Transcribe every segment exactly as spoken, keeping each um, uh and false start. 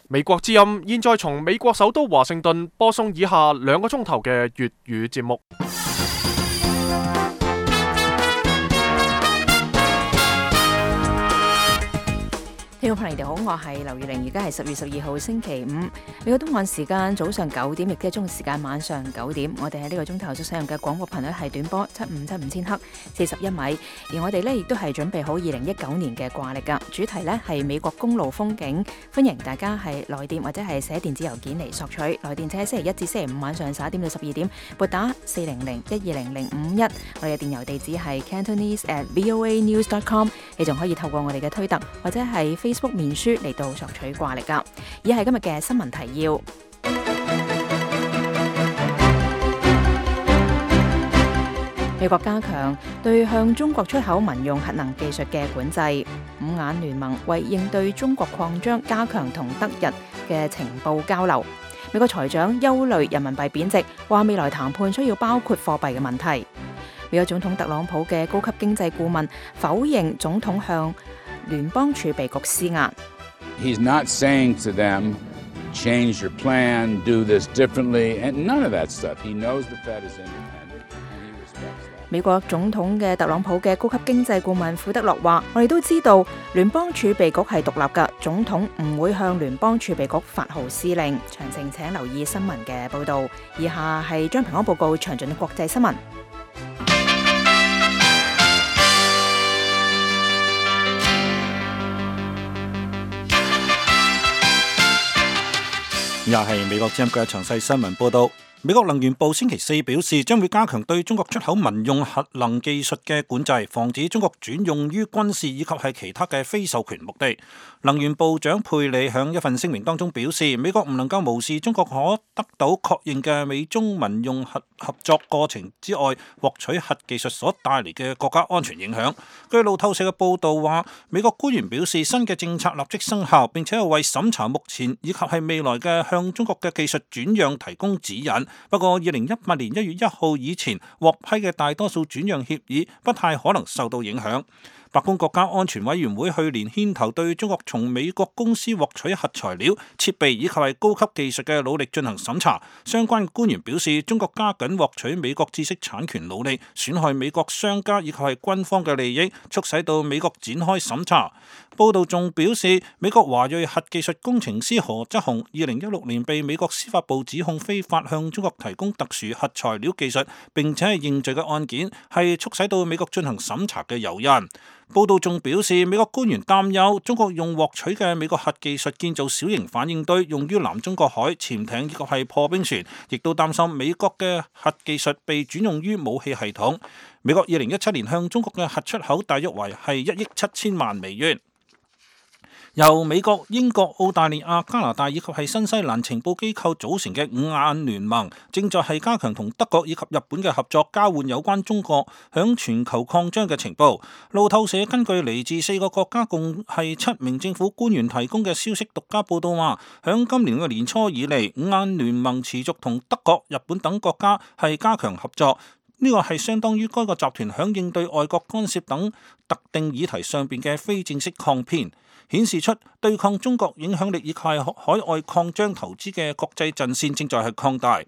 美國之音現在從美國首都華盛頓播送以下兩個鐘頭嘅粵語節目。聽眾朋友，你哋好，我係劉月玲，而家係十月十二號星期五，美國東岸時間早上九點，亦即係中國時間晚上九點。我哋喺呢個鐘頭所使用嘅廣播頻率係短波七五七五千赫，四十一米。而我哋呢亦都係準備好二零一九年嘅掛曆噶，主題呢係美國公路風景，歡迎大家係來電或者係寫電子郵件嚟索取。來電請喺星期一至星期五晚上十一點到十二點撥打四零零一二零零五一，我哋嘅電郵地址係 cantonese at voanews dot com。你仲可以透過我哋嘅推特或者係Facebook 面書嚟到索取掛曆噶。以下係今日嘅新聞提要。美國加強對向中國出口民用核能技術嘅管制。五眼聯盟為應對中國擴張，加強同德日嘅情報交流。美國財長憂慮人民幣貶值，話未來談判需要包括貨幣嘅問題。美國總統特朗普嘅高級經濟顧問否認總統向聯邦儲備局施壓。He's not saying to them, change your plan, do this differently, and none of that stuff. He knows the Fed is independent, and he respects that. 美國總統嘅特朗普嘅高級經濟顧問庫德洛話：我哋都知道聯邦儲備局係獨立㗎，總統唔會向聯邦儲備局發號施令。詳情請留意新聞嘅報導。以下係將平安報告詳盡嘅國際新聞。又係美國之音嘅詳細新聞報道。美國能源部星期四表示，將會加強對中國出口民用核能技術嘅管制，防止中國轉用於軍事以及係其他嘅非授權目的。能源部長佩里響一份聲明當中表示，美國唔能夠無視中國可得到確認嘅美中民用核合作過程之外，獲取核技術所帶嚟嘅國家安全影響。據路透社嘅報道話，美國官員表示，新嘅政策立即生效，並且係為審查目前以及係未來嘅向中國嘅技術轉讓提供指引。不過，二零一八年一月一號以前獲批嘅大多數轉讓協議不太可能受到影響。白宮國家安全委員會去年牽頭對中國從美國公司獲取核材料、設備以及係高級技術嘅努力進行審查。相關官員表示，中國加緊獲取美國知識產權努力，損害美國商家以及係軍方嘅利益，促使到美國展開審查。報道仲表示，美國華裔核技術工程師何則雄二零一六年被美國司法部指控非法向中國提供特殊核材料技術，並且係認罪嘅案件，係促使到美國進行審查嘅誘因。報道仲表示，美國官員擔憂中國用獲取嘅美國核技術建造小型反應堆，用於南中國海潛艇以及係破冰船，亦都擔心美國嘅核技術被轉用於武器系統。美國二零一七年向中國嘅核出口大約為係一億七千萬美元。由美國、英國、澳大利亞、加拿大以及係新西蘭情報機構組成嘅五眼聯盟，正在係加強同德國以及日本嘅合作，交換有關中國響全球擴張嘅情報。路透社根據嚟自四個國家共係七名政府官員提供嘅消息獨家報道話，響今年嘅年初以嚟，五眼聯盟持續同德國、日本等國家係加強合作。呢個係相當於該個集團響應對外國干涉等特定議題上邊嘅非正式抗辯，顯示出對抗中國影響力以及海外擴張投資嘅國際陣線正在係擴大。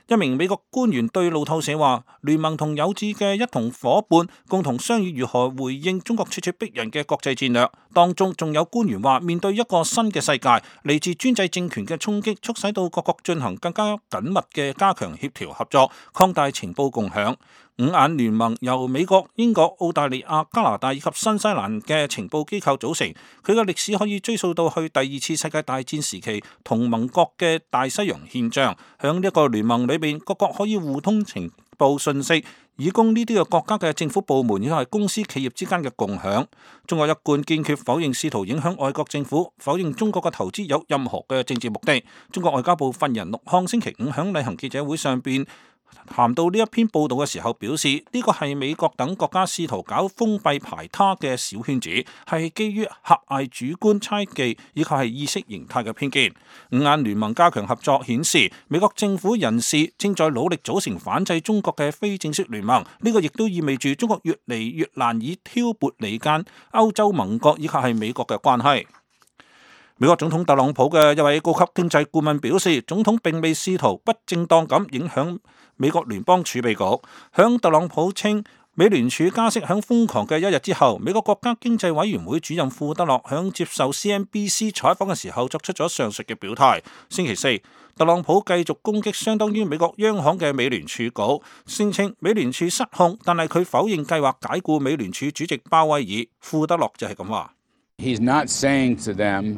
一名美國官員對路透社話，聯盟同有志嘅一同夥伴共同商議如何回應中國咄咄逼人嘅國際戰略。當中仲有官員話，面對一個新嘅世界，嚟自專制政權嘅衝擊，促使到各國進行更加緊密嘅加強協調合作，擴大情報共享。五眼聯盟由美國、英國、澳大利亞、加拿大以及新西蘭嘅情報機構組成，佢嘅歷史可以追溯到去第二次世界大戰時期同盟國嘅大西洋憲章。響呢一個聯盟裏邊，各國可以互通情報信息，以供呢啲嘅國家嘅政府部門以及公司企業之間嘅共享。中國一貫堅決否認試圖影響外國政府，否認中國嘅投資有任何嘅政治目的。中國外交部發言人陸康星期五響例行記者會上邊談到呢一篇報道嘅時候表示，呢個係美國等國家試圖搞封閉排他嘅小圈子，係基於狹隘主觀猜忌以及係意識形態嘅偏見。五眼聯盟加強合作顯示，美國政府人士正在努力組成反制中國嘅非正式聯盟，呢個亦都意味住中國越嚟越難以挑撥離間歐洲盟國以及係美國嘅關係。美國總統特朗普嘅一位高級經濟顧問表示，總統並未試圖不正當咁影響美國聯邦儲備局。響特朗普稱美聯儲加息響瘋狂嘅一日之後，美國國家經濟委員會主任庫德洛響接受 C N B C 採訪嘅時候作出咗上述嘅表態。星期四，特朗普繼續攻擊相當於美國央行嘅美聯儲局，聲稱美聯儲失控，但係佢否認計劃解僱美聯儲主席鮑威爾。庫德洛就係咁話。He's not saying to them,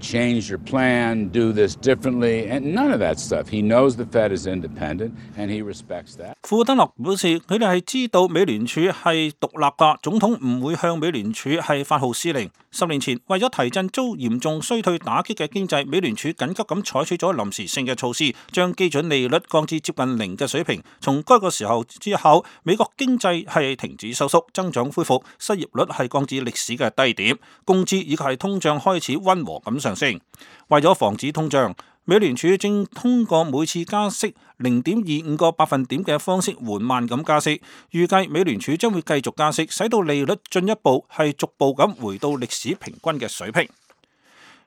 change your plan, do this differently, and none of that stuff. He knows the Fed is independent, and he respects that. 庫德洛表示，佢哋係知道美聯儲係獨立㗎，總統唔會向美聯儲係發號施令。十年前，為咗提振遭嚴重衰退打擊嘅經濟，美聯儲緊急咁採取咗臨時性嘅措施，將基準利率降至接近零嘅水平。從該個時候之後，美國經濟係停止收縮，增長恢復，失業率係降至歷史嘅低點，工資以及係通脹開始溫和咁上升。為咗防止通脹，美聯儲正通過每次加息零點二五個百分點嘅方式緩慢咁加息，預計美聯儲將會繼續加息，使到利率進一步係逐步咁回到歷史平均嘅水平。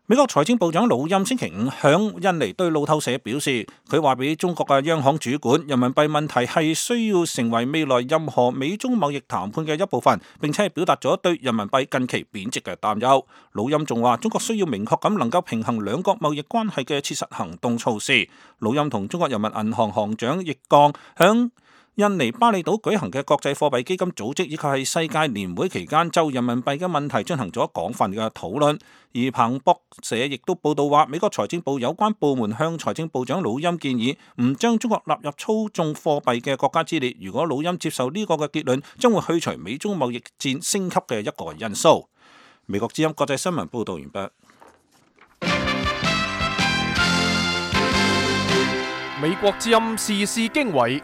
美國財政部長魯欽星期五響印尼對路透社表示，佢話俾中國嘅央行主管，人民幣問題係需要成為未來任何美中貿易談判嘅一部分，並且係表達咗對人民幣近期貶值嘅擔憂。魯欽仲話，中國需要明確咁能夠平衡兩國貿易關係嘅切實行動措施。魯欽同中國人民銀行行長易綱響印尼巴厘島舉行嘅國際貨幣基金組織以及係世界年會期間，就人民幣嘅問題進行咗廣泛嘅討論。而彭博社亦都報道話，美國財政部有關部門向財政部長魯欽建議，唔將中國納入操縱貨幣嘅國家之列。如果魯欽接受呢個嘅結論，將會去除美中貿易戰升級嘅一個因素。美國之音國際新聞報道完畢。美國之音時事經緯。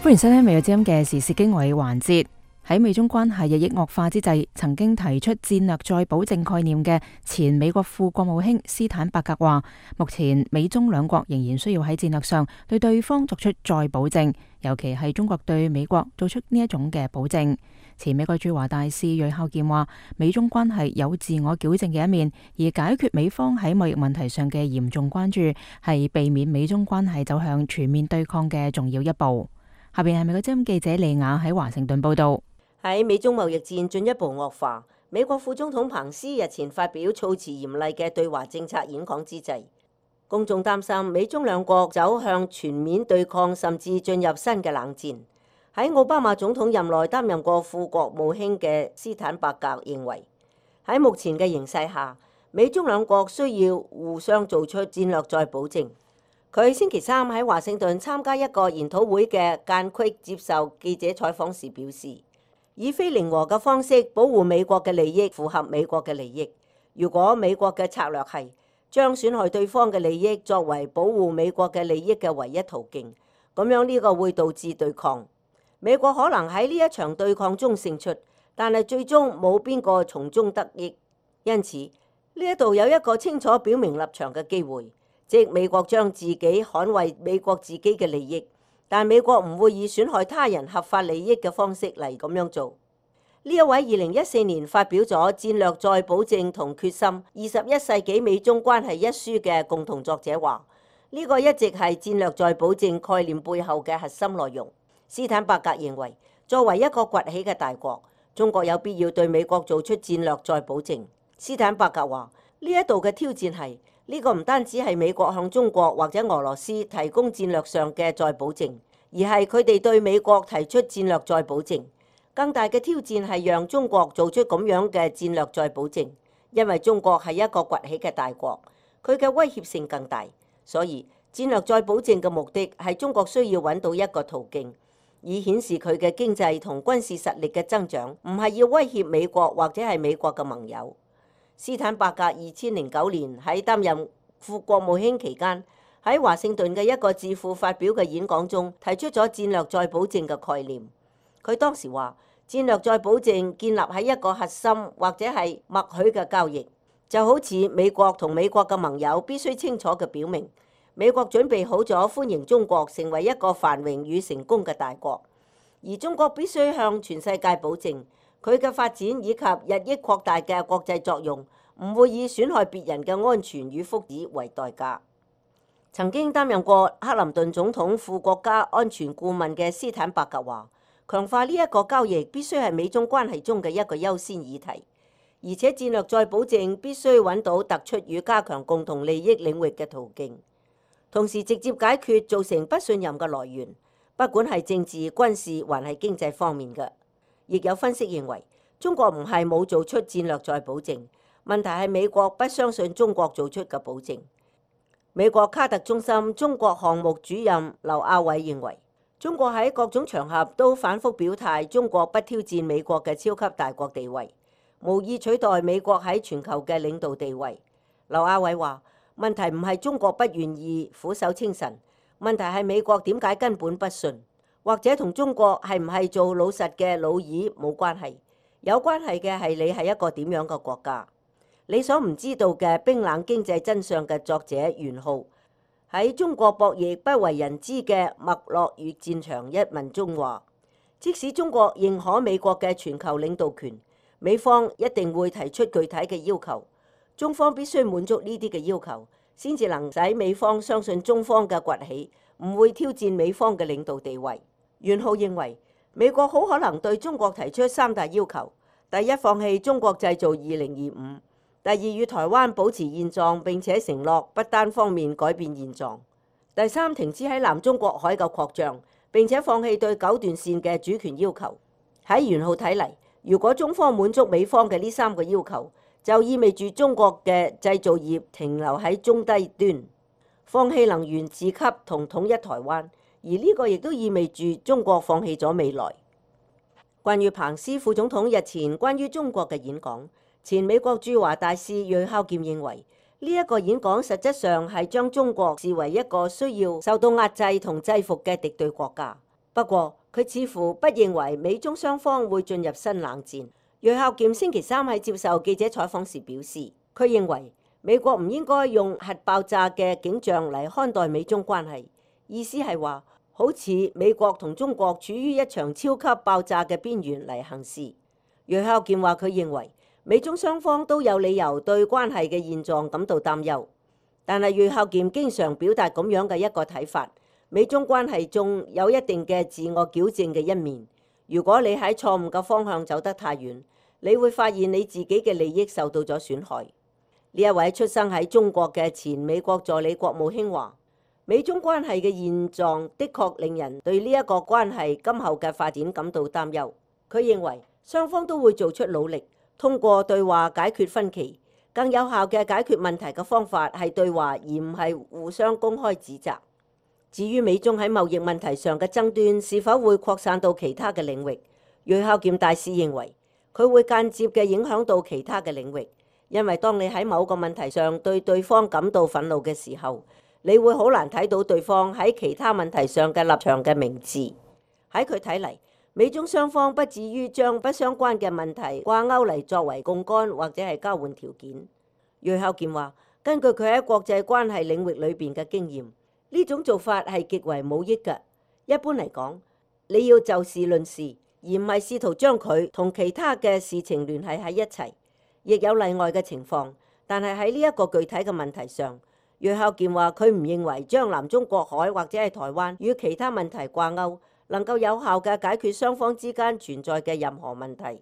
歡迎收聽美國之音嘅時事經緯環節。喺美中關係日益惡化之際，曾經提出戰略再保證概念嘅前美國副國務卿斯坦伯格話，目前美中兩國仍然需要喺戰略上對對方作出再保證，尤其係中國對美國做出呢一種嘅保證。前美國駐華大使芮孝健話，美中關係有自我矯正嘅一面，而解決美方喺貿易問題上嘅嚴重關注，係避免美中關係走向全面對抗嘅重要一步。下邊係美國之音記者利亞喺華盛頓報道。喺美中貿易戰進一步惡化，美國副總統彭斯日前發表措辭嚴厲嘅對華政策演講之際，公眾擔心美中兩國走向全面對抗，甚至進入新嘅冷戰。喺奧巴馬總統任內擔任過副國務卿嘅斯坦伯格認為，喺目前嘅形勢下，美中兩國需要互相做出戰略再保證。佢星期三喺華盛頓參加一個研討會嘅間隙接受記者採訪時表示，以非零和嘅方式保護美國嘅利益，符合美國嘅利益。如果美國嘅策略係將損害對方嘅利益作為保護美國嘅利益嘅唯一途徑，咁樣呢個會導致對抗。美國可能喺呢一場對抗中勝出，但係最終冇邊個從中得益。因此呢一度有一個清楚表明立場嘅機會，即美國將自己捍衛美國自己嘅利益，但美國唔會以損害他人合法利益嘅方式嚟咁樣做。呢一位二零一四年發表咗《戰略再保證同決心：二十一世紀美中關係》一書嘅共同作者話，呢、這個一直係戰略再保證概念背後嘅核心內容。斯坦伯格認為，作為一個崛起嘅大國，中國有必要對美國做出戰略再保證。斯坦伯格話，呢一度嘅挑戰係呢、這個唔單止係美國向中國或者俄羅斯提供戰略上嘅再保證，而係佢哋對美國提出戰略再保證。更大嘅挑戰係讓中國做出咁樣嘅戰略再保證，因為中國係一個崛起嘅大國，佢嘅威脅性更大。所以戰略再保證嘅目的係中國需要揾到一個途徑，以顯示佢嘅經濟同軍事實力嘅增長，唔係要威脅美國或者係美國嘅盟友。斯坦伯格二千零九年喺擔任副國務卿期間，喺華盛頓嘅一個智庫發表嘅演講中，提出咗戰略再保證嘅概念。佢當時話，戰略再保證建立喺一個核心或者係默許嘅交易，就好似美國同美國嘅盟友必須清楚嘅表明，美國準備好咗歡迎中國成為一個繁榮與成功嘅大國，而中國必須向全世界保證，佢嘅發展以及日益擴大嘅國際作用，唔會以損害別人嘅安全與福祉為代價。曾經擔任過克林頓總統副國家安全顧問嘅斯坦伯格話，強化呢一個交易必須係美中關係中嘅一個優先議題，而且戰略再保證必須揾到突出與加強共同利益領域嘅途徑，同時直接解決造成不信任嘅來源，不管係政治、軍事還係經濟方面嘅。亦有分析認為，中國唔係冇做出戰略再保證，問題係美國不相信中國做出嘅保證。美國卡特中心中國項目主任劉亞偉認為，中國喺各種場合都反覆表態，中國不挑戰美國嘅超級大國地位，無意取代美國喺全球嘅領導地位。劉亞偉話：問題唔係中國不願意俯首稱臣，問題係美國點解根本不信，或者同中國係唔係做老實嘅老二冇關係，有關係嘅係你係一個點樣嘅國家。你所唔知道嘅冰冷經濟真相嘅作者袁浩喺中國博弈不為人知嘅脈絡與戰場一文中話，即使中國認可美國嘅全球領導權，美方一定會提出具體嘅要求，中方必須滿足呢啲嘅要求，先至能使美方相信中方嘅崛起唔會挑戰美方嘅領導地位。袁浩認為，美國好可能對中國提出三大要求：第一，放棄中國製造二零二五；第二，與台灣保持現狀並且承諾不單方面改變現狀；第三，停止喺南中國海嘅擴張，並且放棄對九段線嘅主權要求。喺袁浩睇嚟，如果中方滿足美方嘅呢三個要求，就意味住中國嘅製造業停留喺中低端，放棄能源自給同統一台灣，而呢個亦都意味住中國放棄咗未來。關於彭斯副總統日前關於中國嘅演講，前美國駐華大使芮孝儉認為，呢、這、一個演講實質上係將中國視為一個需要受到壓制同制服嘅敵對國家。不過，佢似乎不認為美中雙方會進入新冷戰。芮孝儉星期三喺接受記者採訪時表示，佢認為美國唔應該用核爆炸嘅景象嚟看待美中關係，意思係話好似美國同中國處於一場超級爆炸嘅邊緣嚟行事。芮孝儉話佢認為美中雙方都有理由對關係嘅現狀感到擔憂，但係芮孝儉經常表達咁樣嘅一個睇法：美中關係中有一定嘅自我矯正嘅一面。如果你喺錯誤嘅方向走得太遠，你會發現你自己嘅利益受到咗損害。呢一位出生喺中國嘅前美國助理國務卿話：美中關係嘅現狀的確令人對呢一個關係今後嘅發展感到擔憂。佢認為雙方都會做出努力，通過對話解決分歧。更有效嘅解決問題嘅方法係對話，而唔係互相公開指責。至於美中喺貿易問題上嘅爭端是否會擴散到其他嘅領域，芮孝儉大使認為佢會間接嘅影響到其他嘅領域，因為當你喺某個問題上對對方感到憤怒嘅時候，你會好難睇到對方喺其他問題上嘅立場嘅明智。喺佢睇嚟，美中雙方不至於將不相關嘅問題掛鈎嚟作為槓桿或者係交換條件。芮孝儉話：根據佢喺國際關係領域裏邊嘅經驗，呢種做法係極為冇益嘅。一般嚟講，你要就事論事，而唔係試圖將佢同其他嘅事情聯繫喺一齊。亦有例外嘅情況，但係喺呢一個具體嘅問題上，芮孝儉話佢唔認為將南中國海或者係台灣與其他問題掛鈎能夠有效嘅解決雙方之間存在嘅任何問題。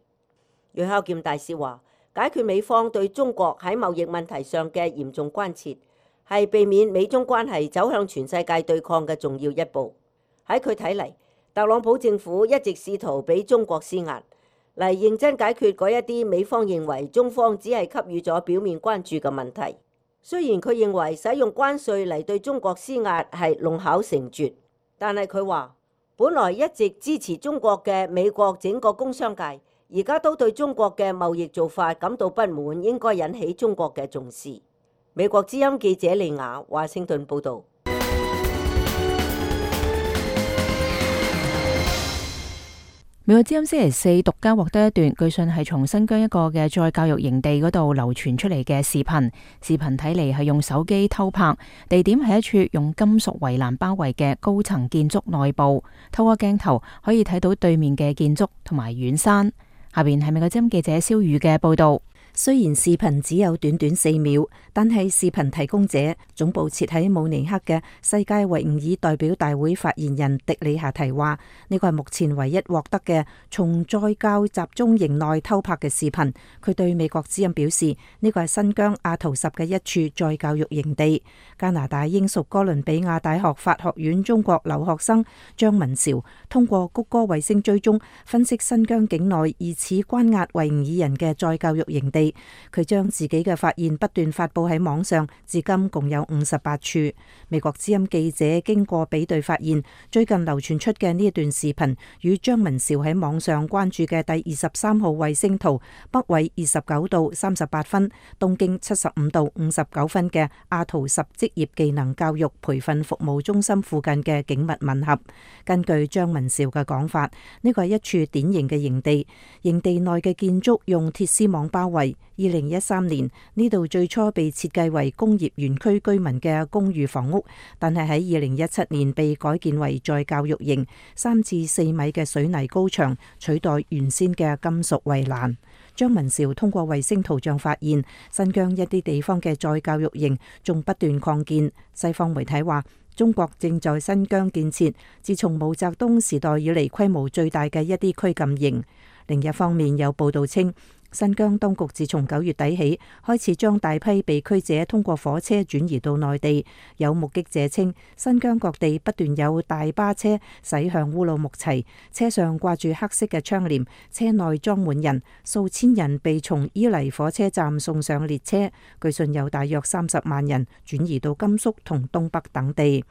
芮孝儉大使話，解決美方對中國喺貿易問題上嘅嚴重關切，係避免美中關係走向全世界對抗嘅重要一步。喺佢睇嚟，特朗普政府一直試圖俾中國施壓，嚟認真解決嗰一啲美方認為中方只係給予咗表面關注嘅問題。雖然佢認為使用關稅嚟對中國施壓係弄巧成拙，但係佢話，本來一直支持中國嘅美國整個工商界，而家都對中國嘅貿易做法感到不滿，應該引起中國嘅重視。美國之音記者利亞華盛頓報導。美國之音星期四獨家獲得一段據信係從新疆一個嘅再教育營地嗰度流傳出嚟嘅視頻，視頻睇嚟係用手機偷拍，地點係一處用金屬圍欄包圍嘅高層建築內部，透過鏡頭可以睇到對面嘅建築同埋遠山。下邊係美國之音記者蕭宇嘅報道。雖然視頻只有短短四秒，但係視頻提供者總部設喺慕尼黑嘅世界維吾爾代表大會發言人迪里夏提話：呢個係目前唯一獲得嘅從再教集中營內偷拍嘅視頻。佢對美國之音表示，呢個係新疆阿圖什嘅一處再教育營地。加拿大英屬哥倫比亞大學法學院中國留學生張文韶通過谷歌衛星追蹤分析新疆境內疑似關押維吾爾人嘅再教育營地。佢將自己嘅發現不斷發佈喺網上，至今共有五十八處。美國之音記者經過比對發現，最近流傳出嘅呢一段視頻與張文韶喺網上關注嘅第二十三號衛星圖北緯二十九度三十八分、東經七十五度五十九分嘅阿圖什職業技能教育培訓服務中心附近嘅景物吻合。根據張文韶嘅講法，呢個係一處典型嘅營地，營地內嘅建築用鐵絲網包圍。二零一三年呢度最初被設計為工業園區居民嘅公寓房屋，但係喺二零一七年被改建為再教育營，三至四米嘅水泥高牆取代原先嘅金屬圍欄。張文韶通過衛星圖像發現，新疆一啲地方嘅再教育營仲不斷擴建。西方媒體話，中國正在新疆建設自從毛澤東時代以嚟規模最大嘅一啲拘禁營。另一方面，有報道稱，新疆當局自從九月底起開始將大批被拘者通過火車轉移到內地。有目擊者稱，新疆各地不斷有大巴車駛向烏魯木齊，車上掛住黑色嘅窗簾，車內裝滿人，數千人被從伊犁火車站送上列車。據信有大約三十萬人轉移到甘肅同東北等地。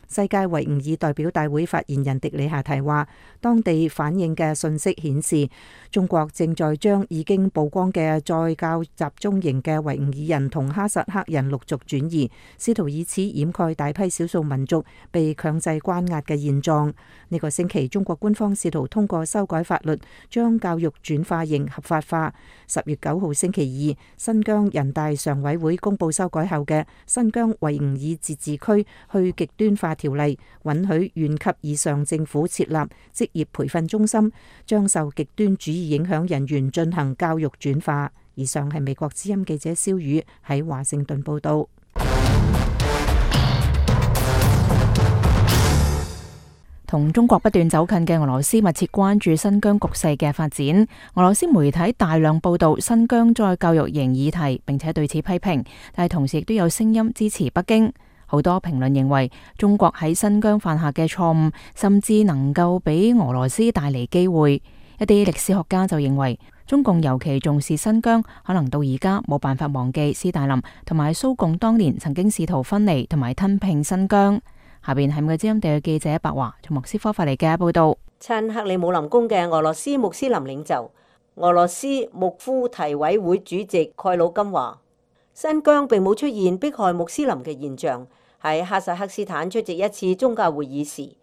世界維吾爾代表大會發言人迪里夏提話，當地反映嘅信息顯示，中國正在將已經曝光嘅再教集中營嘅維吾爾人同哈薩克人陸續轉移，試圖以此掩蓋大批少數民族被強制關押嘅現狀。呢個星期，中國官方試圖通過修改法律，將教育轉化營合法化。十月九號星期二，新疆人大常委會公布修改後嘅新疆維吾爾自治區去極端化條例，允許縣級以上政府設立職業培訓中心，將受極端主義影響人員進行教育轉化。以上係美國之音記者蕭宇喺華盛頓報道。同中國不斷走近嘅俄羅斯密切關注新疆局勢嘅發展。俄羅斯媒體大量報道新疆再教育營議題，並且對此批評，但係同時亦都有聲音支持北京。好多評論認為，中國喺新疆犯下嘅錯誤，甚至能夠俾俄羅斯帶嚟機會。一啲歷史學家就認為，中共尤其重視新疆，可能到而家冇辦法忘記斯大林同埋蘇共當年曾經試圖分離同埋吞併新疆。下邊係美國之音地嘅記者白華從莫斯科發嚟嘅報道。親克里姆林宮嘅俄羅斯穆斯林領袖、俄羅斯穆夫提委會主席蓋魯金話，新疆並冇出現迫害穆斯林嘅現象。喺哈薩克斯坦出席一次宗教會議時，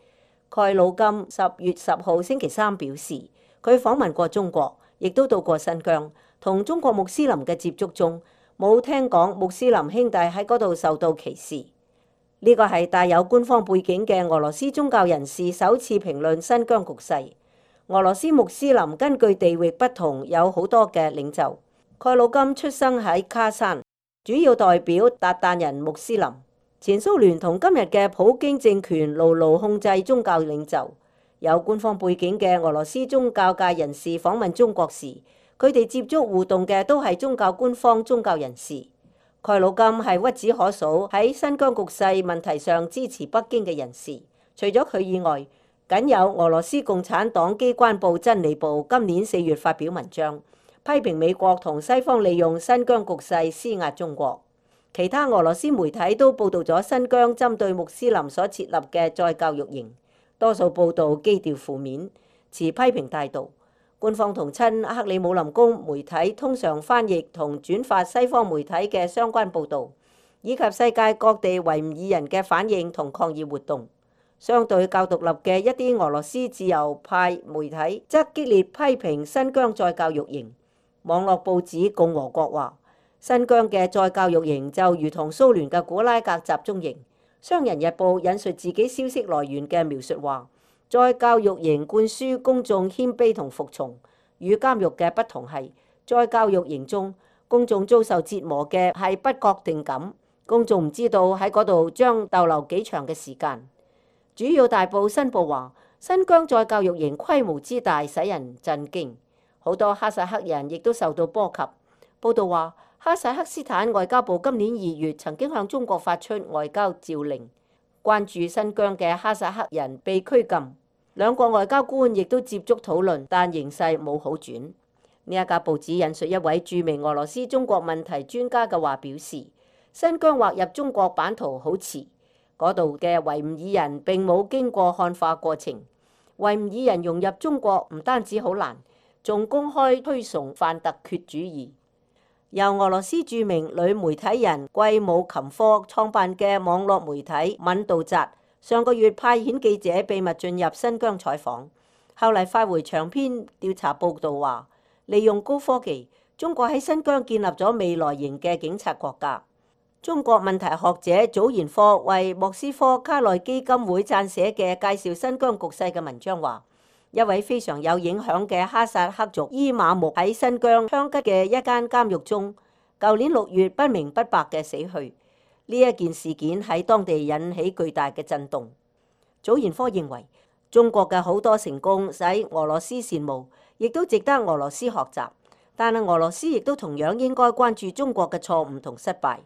蓋魯金十月十號星期三表示，佢訪問過中國，亦都到過新疆，同中國穆斯林嘅接觸中，冇聽講穆斯林兄弟喺嗰度受到歧視。呢個係帶有官方背景嘅俄羅斯宗教人士首次評論新疆局勢。俄羅斯穆斯林根據地域不同有好多嘅領袖。蓋魯金出生喺卡山，主要代表韃靼人穆斯林。前蘇聯同今日嘅普京政權牢牢控制宗教領袖。有官方背景嘅俄羅斯宗教界人士訪問中國時，佢哋接觸互動嘅都係宗教官方宗教人士。蓋魯金係屈指可數喺新疆局勢問題上支持北京嘅人士。除咗佢以外，僅有俄羅斯共產黨機關報真理報今年四月發表文章，批評美國同西方利用新疆局勢施壓中國。其他俄羅斯媒體都報導咗新疆針對穆斯林所設立嘅再教育營，多數報導基調負面，持批評態度。官方同親克里姆林宮媒體通常翻譯同轉發西方媒體嘅相關報導，以及世界各地維吾爾人嘅反應同抗議活動。相對較獨立嘅一啲俄羅斯自由派媒體則激烈批評新疆再教育營。網絡報紙共和國話，新疆嘅再教育營就如同蘇聯嘅古拉格集中營。商人日報引述自己消息來源嘅描述話，再教育營灌輸公眾謙卑同服從，與監獄嘅不同係，在教育營中，公眾遭受折磨嘅係不確定感，公眾唔知道喺嗰度將逗留幾長嘅時間。主要大報新報話，新疆在教育營規模之大使人震驚，好多哈薩克人亦都受到波及。報道話，哈薩克斯坦外交部今年二月曾經向中國發出外交召令，關注新疆嘅哈薩克人被拘禁。兩國外交官亦都接觸討論，但形勢冇好轉。呢一家報紙引述一位著名俄羅斯中國問題專家嘅話表示，新疆劃入中國版圖好遲，嗰度嘅維吾爾人並冇經過漢化過程。維吾爾人融入中國唔單止好難，仲公開推崇泛突厥主義。由俄羅斯著名女媒體人季姆琴科創辦嘅網絡媒體敏道扎，上個月派遣記者秘密進入新疆採訪，後嚟發回長篇調查報道話，利用高科技，中國喺新疆建立咗未來型嘅警察國家。中國問題學者祖賢科為莫斯科卡內基金會撰寫嘅介紹新疆局勢嘅文章話，一位非常有影響嘅哈薩克族伊瑪目喺新疆香吉嘅一間監獄中，舊年六月不明不白嘅死去。呢一件事件喺當地引起巨大嘅震動。祖賢科認為，中國嘅好多成功使俄羅斯羨慕，亦都值得俄羅斯學習，但係俄羅斯亦都同樣應該關注中國嘅錯誤同失敗。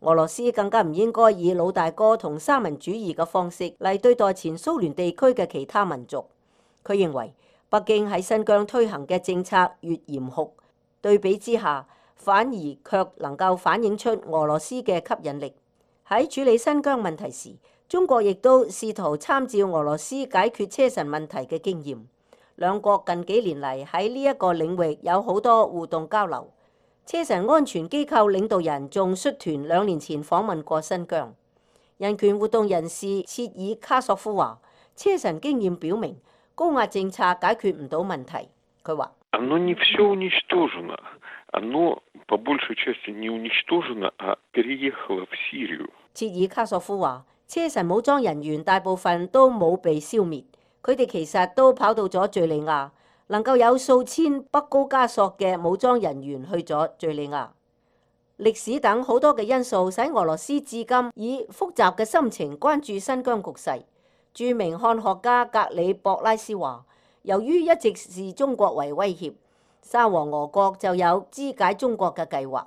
俄羅斯更加唔應該以老大哥同三民主義嘅方式嚟對待前蘇聯地區嘅其他民族。佢認為北京喺新疆推行嘅政策越嚴酷，對比之下反而卻能夠反映出俄羅斯嘅吸引力。喺處理新疆問題時，中國亦都試圖參照俄羅斯解決車臣問題嘅經驗。兩國近幾年嚟喺呢一個領域有好多互動交流。車臣安全機構領導人仲率團兩年前訪問過新疆。人權活動人士切爾卡索夫話，車臣經驗表明高壓政策解決唔到問題。佢話：切爾卡索夫話，車臣武裝人員大部分都冇被消滅，佢哋其實都跑到咗敘利亞。能夠有數千北高加索嘅武裝人員去咗敘利亞。歷史等好多嘅因素使俄羅斯至今以複雜嘅心情關注新疆局勢。著名漢學家格里博拉斯話，由於一直視中國為威脅，沙皇俄國就有肢解中國嘅計劃。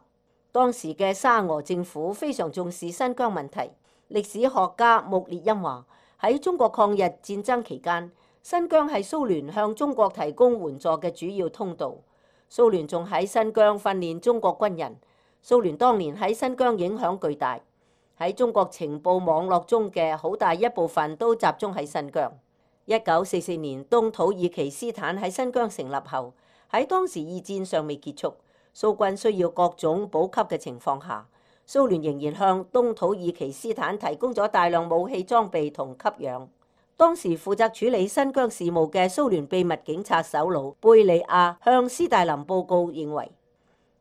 當時嘅沙俄政府非常重視新疆問題。歷史學家穆列因話，喺中國抗日戰爭期間，新疆係蘇聯向中國提供援助嘅主要通道。蘇聯仲喺新疆訓練中國軍人。蘇聯當年喺新疆影響巨大，喺中國情報網絡中嘅好大一部分都集中喺新疆。一九四四年東土耳其斯坦喺新疆成立後，喺當時二戰尚未結束，蘇軍需要各種補給嘅情況下，蘇聯仍然向東土耳其斯坦提供咗大量武器裝備同給養。當時負責處理新疆事務嘅蘇聯秘密警察首腦貝利亞向斯大林報告認為，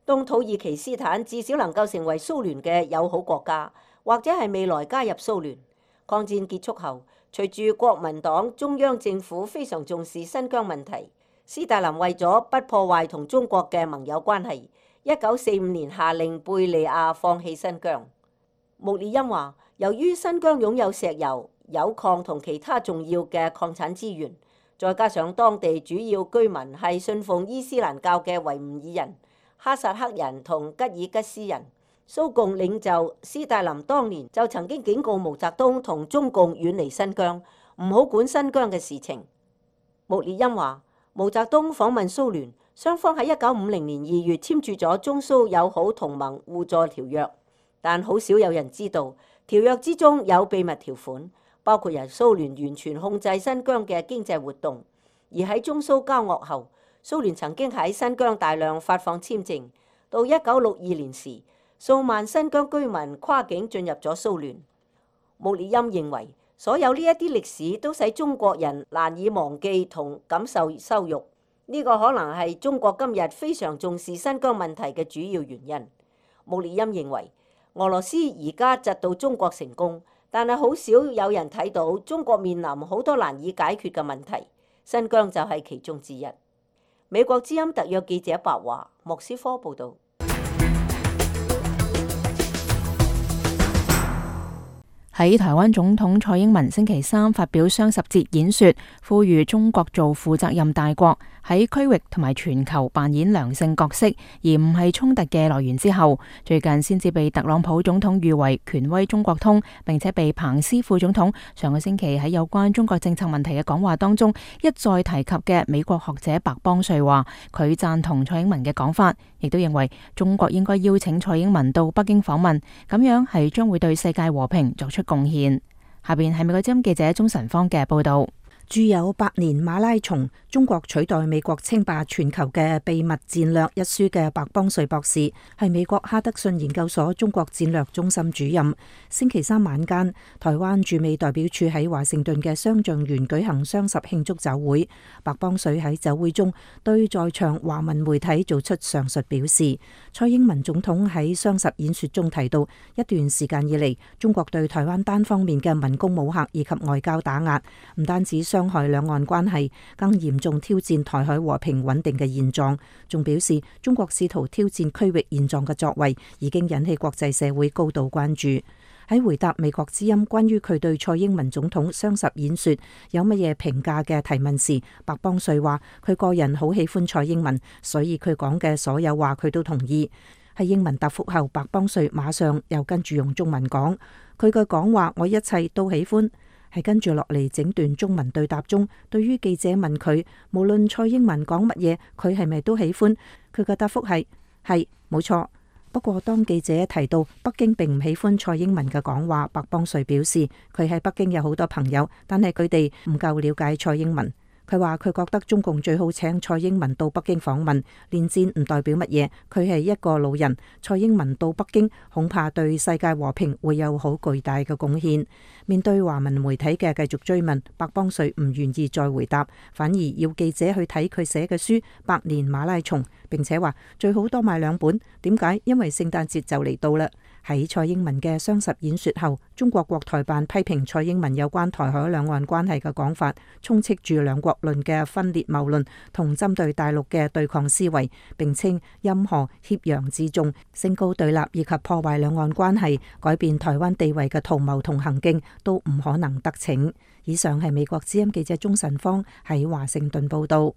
東土耳其斯坦至少能夠成為蘇聯嘅友好國家，或者係未來加入蘇聯。抗戰結束後，隨住國民黨中央政府非常重視新疆問題，斯大林為咗不破壞同中國嘅盟友關係，一九四五年下令貝利亞放棄新疆。穆列因話，由於新疆擁有石油、鈾礦同其他重要嘅礦產資源，再加上當地主要居民係信奉伊斯蘭教嘅維吾爾人、哈薩克人同吉爾吉斯人，蘇共領袖斯大林當年就曾經警告毛澤東同中共遠離新疆，唔好管新疆嘅事情。穆列因話，毛澤東訪問蘇聯，雙方喺一九五零年二月簽署咗中蘇友好同盟互助條約，但好少有人知道條約之中有秘密條款，包括由蘇聯完全控制新疆嘅經濟活動。而喺中蘇交惡後，蘇聯曾經喺新疆大量發放簽證。到一九六二年時，數萬新疆居民跨境進入咗蘇聯。穆列因認為，所有呢一啲歷史都使中國人難以忘記同感受羞辱。呢、這個可能係中國今日非常重視新疆問題嘅主要原因。穆列因認為，俄羅斯而家窒到中國成功，但係好少有人睇到中國面臨好多難以解決嘅問題，新疆就係其中之一。美國之音特約記者白華，莫斯科報導。喺台灣總統蔡英文星期三發表雙十節演說，呼籲中國做負責任大國，喺區域同埋全球扮演良性角色，而唔係衝突嘅來源之後，最近先至被特朗普總統譽為權威中國通，並且被彭斯副總統上個星期喺有關中國政策問題嘅講話當中一再提及嘅美國學者白邦瑞話，佢贊同蔡英文嘅講法，亦都認為中國應該邀請蔡英文到北京訪問，咁樣係將會對世界和平作出貢獻。下邊係美國之音記者鍾晨芳嘅報道。著有《百年馬拉松：中國取代美國稱霸全球嘅秘密戰略》一書嘅白邦瑞博士係美國哈德遜研究所中國戰略中心主任。星期三晚間，台灣駐美代表處喺華盛頓嘅雙橡園舉行雙十慶祝酒會。白邦瑞喺酒會中對在場華文媒體做出上述表示。蔡英文總統喺雙十演說中提到，一段時間以嚟，中國對台灣單方面嘅文攻武嚇以及外交打壓，唔單止傷害兩岸關係，更嚴重挑戰台海和平穩定嘅現狀。仲表示，中國試圖挑戰區域現狀嘅作為，已經引起國際社會高度關注。喺回答美國之音關於佢對蔡英文總統雙十演說有乜嘢評價嘅提問時，白邦瑞話佢個人好喜歡蔡英文，所以佢講嘅所有話佢都同意。喺英文答覆後，白邦瑞馬上又跟住用中文講，佢嘅講話我一切都喜歡。係跟住落嚟整段中文對答中，對於記者問佢無論蔡英文講乜嘢，佢係咪都喜歡？佢嘅答覆係係冇錯。不過當記者提到北京並唔喜歡蔡英文嘅講話，白邦瑞表示佢喺北京有好多朋友，但係佢哋唔夠了解蔡英文。佢話佢覺得中共最好請蔡英文到北京訪問，連戰唔代表乜嘢，佢係一個老人，蔡英文到北京恐怕對世界和平會有好巨大嘅貢獻。面對華文媒體嘅繼續追問，白邦瑞唔願意再回答，反而要記者去睇佢寫嘅書《百年馬拉松》，並且話最好多買兩本。點解？因為聖誕節就嚟到啦。喺蔡英文嘅雙十演說後，中國國台辦批評蔡英文有關台海兩岸關係嘅講法，充斥住兩國論嘅分裂謬論同針對大陸嘅對抗思維，並稱任何挾洋自重、升高對立以及破壞兩岸關係、改變台灣地位嘅圖謀同行徑都唔可能得逞。以上係美國之音記者鍾晨芳喺華盛頓報道。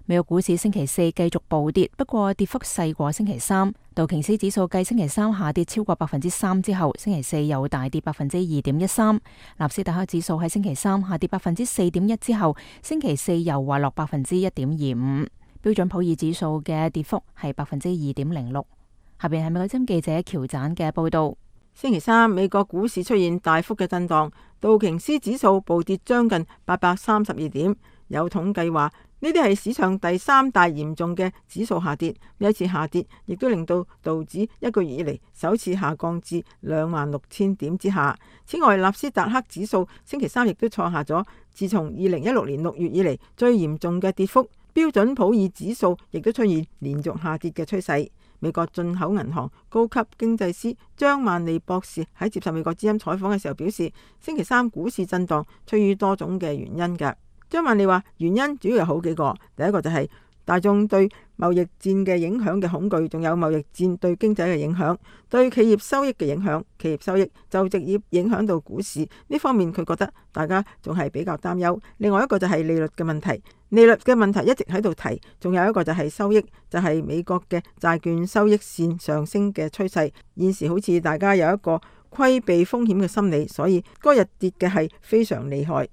美國股市星期四繼續暴跌，不過跌幅細過星期三。道瓊斯指數繼星期三下跌超過百分之三之後，星期四又大跌百分之二點一三。納斯達克指數喺星期三下跌百分之四點一之後，星期四又滑落百分之一點二五。標準普爾指數嘅跌幅係百分之二點零六。下邊係美國之音記者喬盞嘅報道。星期三美國股市出現大幅嘅震盪，道瓊斯指數暴跌將近八百三十二點。有統計話，呢啲係史上第三大嚴重嘅指數下跌。呢一次下跌亦都令到道指一個月以嚟首次下降至兩萬六千點之下。此外，納斯達克指數星期三亦都創下咗自從二零一六年六月以嚟最嚴重嘅跌幅。標準普爾指數亦都出現連續下跌嘅趨勢。美國進口銀行高級經濟師張萬利博士喺接受美國之音採訪嘅時候表示，星期三股市震盪出於多種嘅原因嘅。張萬利話原因主要有好幾個，第一個就係大眾對貿易戰嘅影響嘅恐懼，仲有貿易戰對經濟嘅影響，對企業收益嘅影響，企業收益就直接影響到股市呢方面，佢覺得大家仲係比較擔憂。另外一個就係利率嘅問題，利率嘅問題一直喺度提，仲有一個就係收益，就係、是、美國嘅債券收益線上升嘅趨勢，現時好似大家有一個規避風險嘅心理，所以嗰日跌嘅係非常厲害。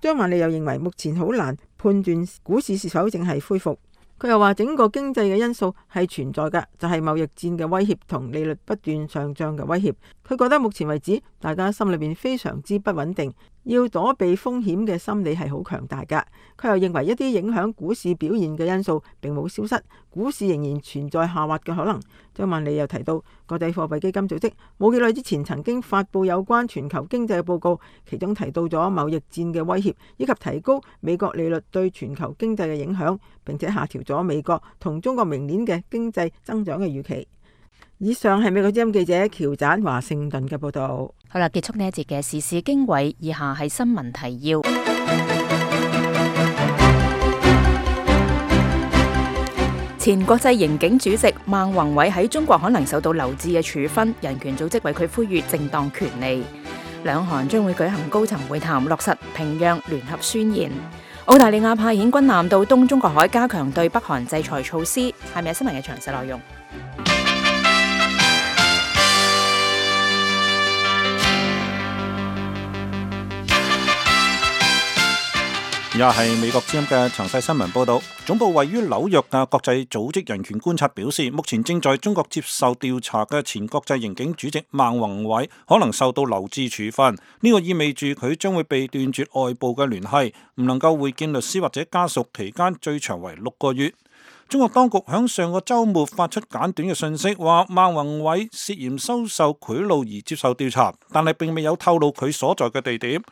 張萬利又認為目前好難判斷股市是否正係恢復。佢又話整個經濟嘅因素係存在嘅，就係貿易戰嘅威脅同利率不斷上漲嘅威脅。佢覺得目前為止大家心裏邊非常之不穩定，要躲避風險嘅心理係好強大㗎。佢又認為一啲影響股市表現嘅因素並冇消失，股市仍然存在下滑嘅可能。張萬利又提到，國際貨幣基金組織冇幾耐之前曾經發布有關全球經濟嘅報告，其中提到咗貿易戰嘅威脅以及提高美國利率對全球經濟嘅影響，並且下調咗美國同中國明年嘅經濟增長嘅預期。以上係美國之音記者喬盞華盛頓嘅報道。好啦，結束呢一節嘅時事經緯，以下係新聞提要。前國際刑警主席孟宏偉喺中國可能受到留置嘅處分，人權組織為佢呼籲正當權利。兩韓將會舉行高層會談，落實平壤聯合宣言。澳大利亞派遣軍艦到東中國海，加強對北韓制裁措施。係咪有新聞嘅詳細內容？而家係美國之音嘅詳細新聞報道。總部位於紐約嘅國際組織人權觀察表示，目前正在中國接受調查嘅前國際刑警主席孟宏偉可能受到留置處分。呢個意味住佢將會被斷絕外部嘅聯繫，唔能夠會見律師或者家屬，期間最長為六個月。中國當局響上個週末發出簡短嘅信息，話孟宏偉涉嫌收受賄賂而接受調查，但係並未有透露佢所在嘅地點。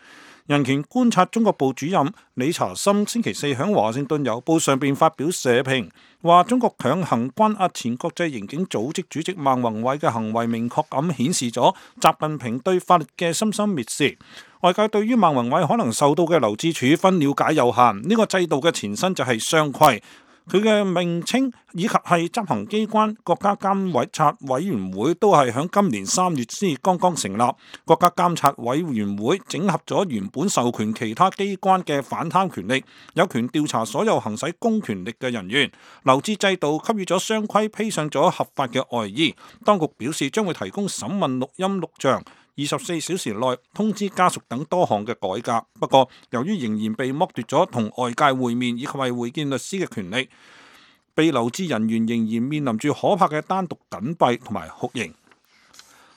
人權觀察中國部主任理查森星期四喺華盛頓郵報上邊發表社評，話中國強行關押前國際刑警組織主席孟宏偉嘅行為，明確咁顯示咗習近平對法律嘅深深蔑視。外界對於孟宏偉可能受到嘅留置處分了解有限，呢、這個制度嘅前身就係雙規。佢嘅名稱以及係執行機關國家監察委員會都係喺今年三月先剛剛成立。國家監察委員會整合咗原本授權其他機關嘅反貪權力，有權調查所有行使公權力嘅人員。留置制度給予咗雙規披上咗合法嘅外衣。當局表示將會提供審問錄音錄像，二十四小時內通知家屬等多項嘅改革。不過，由於仍然被剝奪咗同外界會面以及係會見律師嘅權利，被留置人員仍然面臨住可怕嘅單獨緊閉同埋酷刑。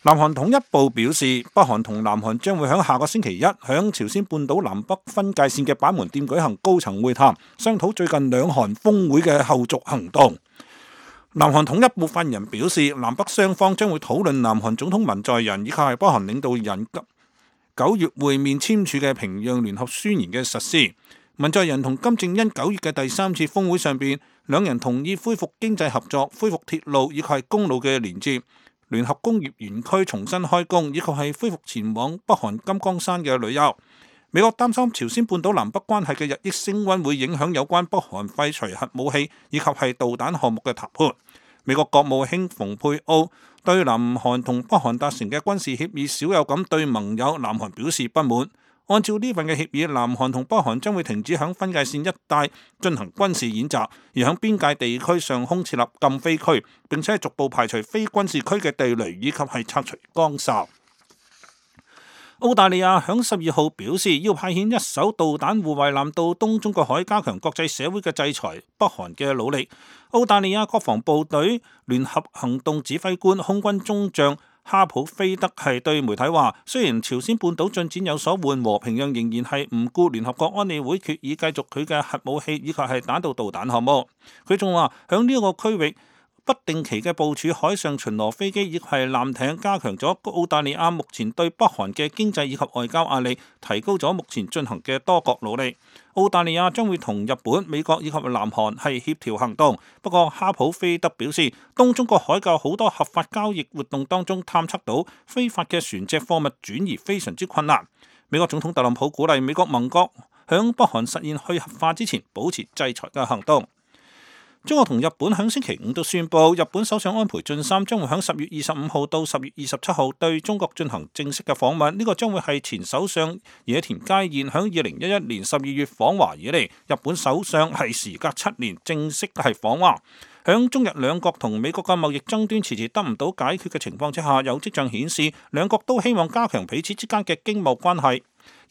南韓統一部表示，北韓同南韓將會喺下個星期一喺朝鮮半島南北分界線嘅板門店舉行高層會談，商討最近兩韓峰會嘅後續行動。南韓統一部發言人表示，南北雙方將會討論南韓總統文在寅以及係北韓領導人九月會面簽署嘅平壤聯合宣言嘅實施。文在寅同金正恩九月嘅第三次峰會上邊，兩人同意恢復經濟合作、恢復鐵路以及係公路嘅連接、聯合工業園區重新開工，以及係恢復前往北韓金剛山嘅旅遊。美國擔心朝鮮半島南北關係嘅日益升溫會影響有關北韓廢除核武器以及係導彈項目嘅談判。美國國務卿蓬佩奧對南韓同北韓達成嘅軍事協議少有咁對盟友南韓表示不滿。按照呢份嘅協議，南韓同北韓將會停止響分界線一帶進行軍事演習，而響邊界地區上空設立禁飛區，並且逐步排除非軍事區嘅地雷以及係拆除崗哨。澳大利亞響十二號表示要派遣一艘導彈護衛艦到東中國海，加強國際社會嘅制裁北韓嘅努力。澳大利亞國防部隊聯合行動指揮官空軍中將哈普菲德係對媒體話，雖然朝鮮半島進展有所緩和，平壤仍然係唔顧聯合國安理會決議，繼續佢嘅核武器以及係彈道導彈項目。佢仲話響呢個區域不定期嘅部署海上巡邏飛機以及係艦艇，加強咗澳大利亞目前對北韓嘅經濟以及外交壓力，提高咗目前進行嘅多國努力。澳大利亞將會同日本、美國以及南韓係協調行動。不過哈普菲德表示，東中國海嘅好多合法交易活動當中探測到非法嘅船隻貨物轉移非常之困難。美國總統特朗普鼓勵美國盟國響北韓實現去核化之前保持制裁嘅行動。中國同日本喺星期五都宣布，日本首相安倍晉三將會喺十月二十五號到十月二十七號對中國進行正式嘅訪問。呢、這個將會係前首相野田佳彥喺二零一一年十二月訪華以嚟，日本首相係時隔七年正式係訪華。響中日兩國同美國嘅貿易爭端遲遲得唔到解決嘅情況之下，有跡象顯示兩國都希望加強彼此之間嘅經貿關係。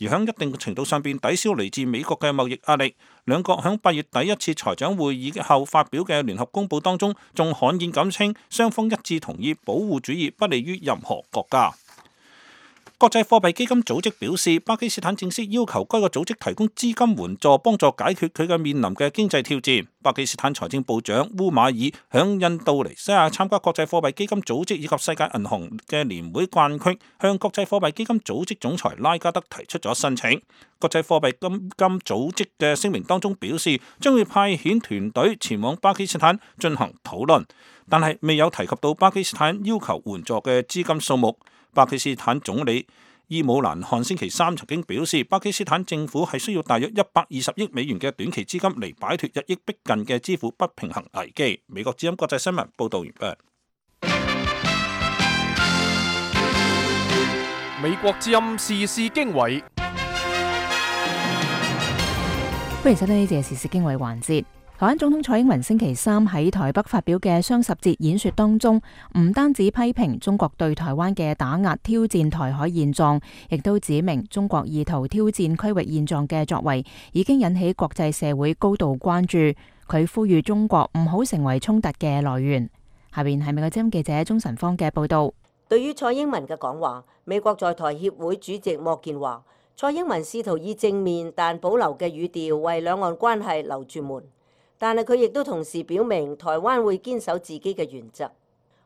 而喺一定程度上邊抵消嚟自美國嘅貿易壓力，兩國喺八月底一次財長會議後發表嘅聯合公報當中，仲罕見咁稱雙方一致同意保護主義不利於任何國家。國際貨幣基金組織表示，巴基斯坦正式要求該個組織提供資金援助，幫助解決佢嘅面臨嘅經濟挑戰。巴基斯坦財政部長烏馬爾響印度尼西亞參加國際貨幣基金組織以及世界銀行嘅年會慣區，向國際貨幣基金組織總裁拉加德提出咗申請。國際貨幣基金組織嘅聲明當中表示，將會派遣團隊前往巴基斯坦進行討論，但係未有提及到巴基斯坦要求援助嘅資金數目。巴基斯坦總理伊姆蘭汗星期三曾經表示，巴基斯坦政府係需要大約一百二十億美元嘅短期資金嚟擺脫日益逼近嘅支付不平衡危機。美國之音國際新聞報道完畢。美國之音時事經緯，歡迎收聽呢節時事經緯環節。台灣總統蔡英文星期三喺台北發表嘅雙十節演說當中，唔單止批評中國對台灣嘅打壓挑戰台海現狀，亦都指明中國意圖挑戰區域現狀嘅作為已經引起國際社會高度關注。佢呼籲中國唔好成為衝突嘅來源。下邊係美國之音記者鍾晨芳嘅報道。對於蔡英文嘅講話，美國在台協會主席莫健話，蔡英文試圖以正面但保留嘅語調為兩岸關係留住門。但係佢亦都同時表明，台灣會堅守自己嘅原則。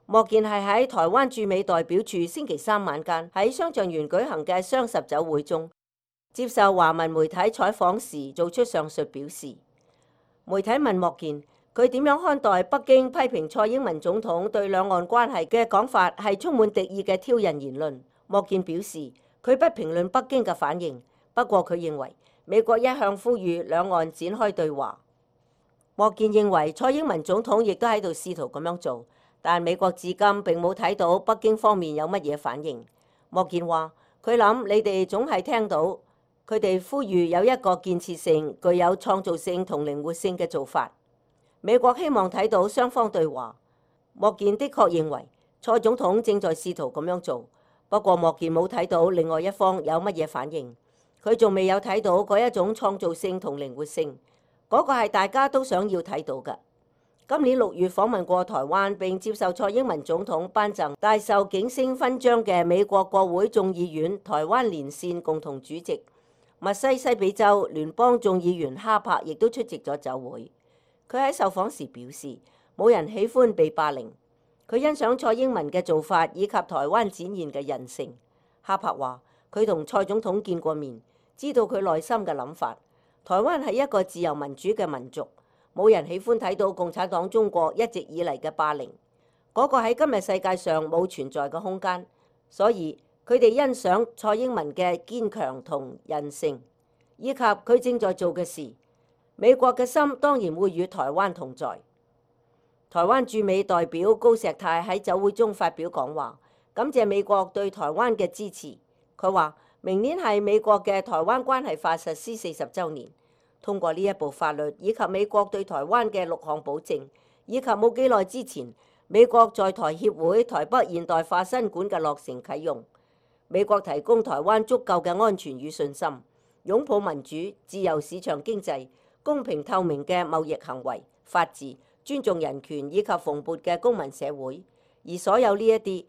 莫健係喺台灣駐美代表處星期三晚間喺雙橡園舉行嘅雙十酒會中，接受華文媒體採訪時做出上述表示。媒體問莫健，佢點樣看待北京批評蔡英文總統對兩岸關係嘅講法係充滿敵意嘅挑釁言論？莫健表示，佢不評論北京嘅反應，不過佢認為美國一向呼籲兩岸展開對話。莫健認為蔡英文總統亦都喺度試圖咁樣做，但美國至今並冇睇到北京方面有乜嘢反應。莫健話：佢諗你哋總係聽到佢哋呼籲有一個建設性、具有創造性同靈活性嘅做法。美國希望睇到雙方對話。莫健的確認為蔡總統正在試圖咁樣做，不過莫健冇睇到另外一方有乜嘢反應，佢仲未有睇到嗰一種創造性同靈活性。嗰個係大家都想要睇到嘅。今年六月訪問過台灣並接受蔡英文總統頒贈大綬景星勳章嘅美國國會眾議院台灣連線共同主席密西西比州聯邦眾議員哈柏亦都出席咗酒會。佢喺受訪時表示，冇人喜歡被霸凌。佢欣賞蔡英文嘅做法以及台灣展現嘅韌性。哈柏話：佢同蔡總統見過面，知道佢內心嘅諗法。台灣係一個自由民主嘅民族，冇人喜歡睇到共產黨中國一直以嚟嘅霸凌，嗰個喺今日世界上冇存在嘅空間。所以佢哋欣賞蔡英文嘅堅強同韌性，以及佢正在做嘅事。美國嘅心當然會與台灣同在。台灣駐美代表高石泰喺酒會中發表講話，感謝美國對台灣嘅支持。佢話：明年係美國嘅台灣關係法實施四十週年，通過呢一部法律以及美國對台灣嘅六項保證，以及冇幾耐之前美國在台協會台北現代化新館嘅落成啟用，美國提供台灣足夠嘅安全與信心，擁抱民主、自由市場經濟、公平透明嘅貿易行為、法治、尊重人權以及蓬勃嘅公民社會，而所有呢一啲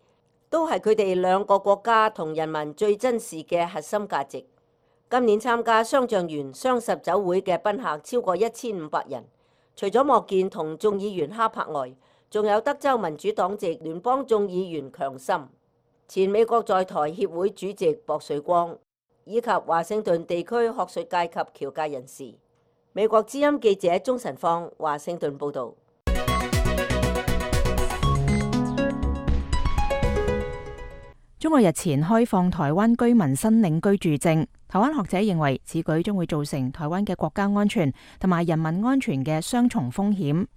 都係佢哋兩個國家同人民最珍視嘅核心價值。今年參加雙橡園雙十酒會嘅賓客超過一千五百人，除咗莫健同眾議員哈柏外，仲有德州民主黨籍聯邦眾議員強森、前美國在台協會主席薄瑞光，以及華盛頓地區學術界及僑界人士。美國之音記者鍾晨芳，華盛頓報導。中國日前開放台灣居民申領居住證，台灣學者認為此舉將會造成台灣嘅國家安全同埋人民安全嘅雙重風險。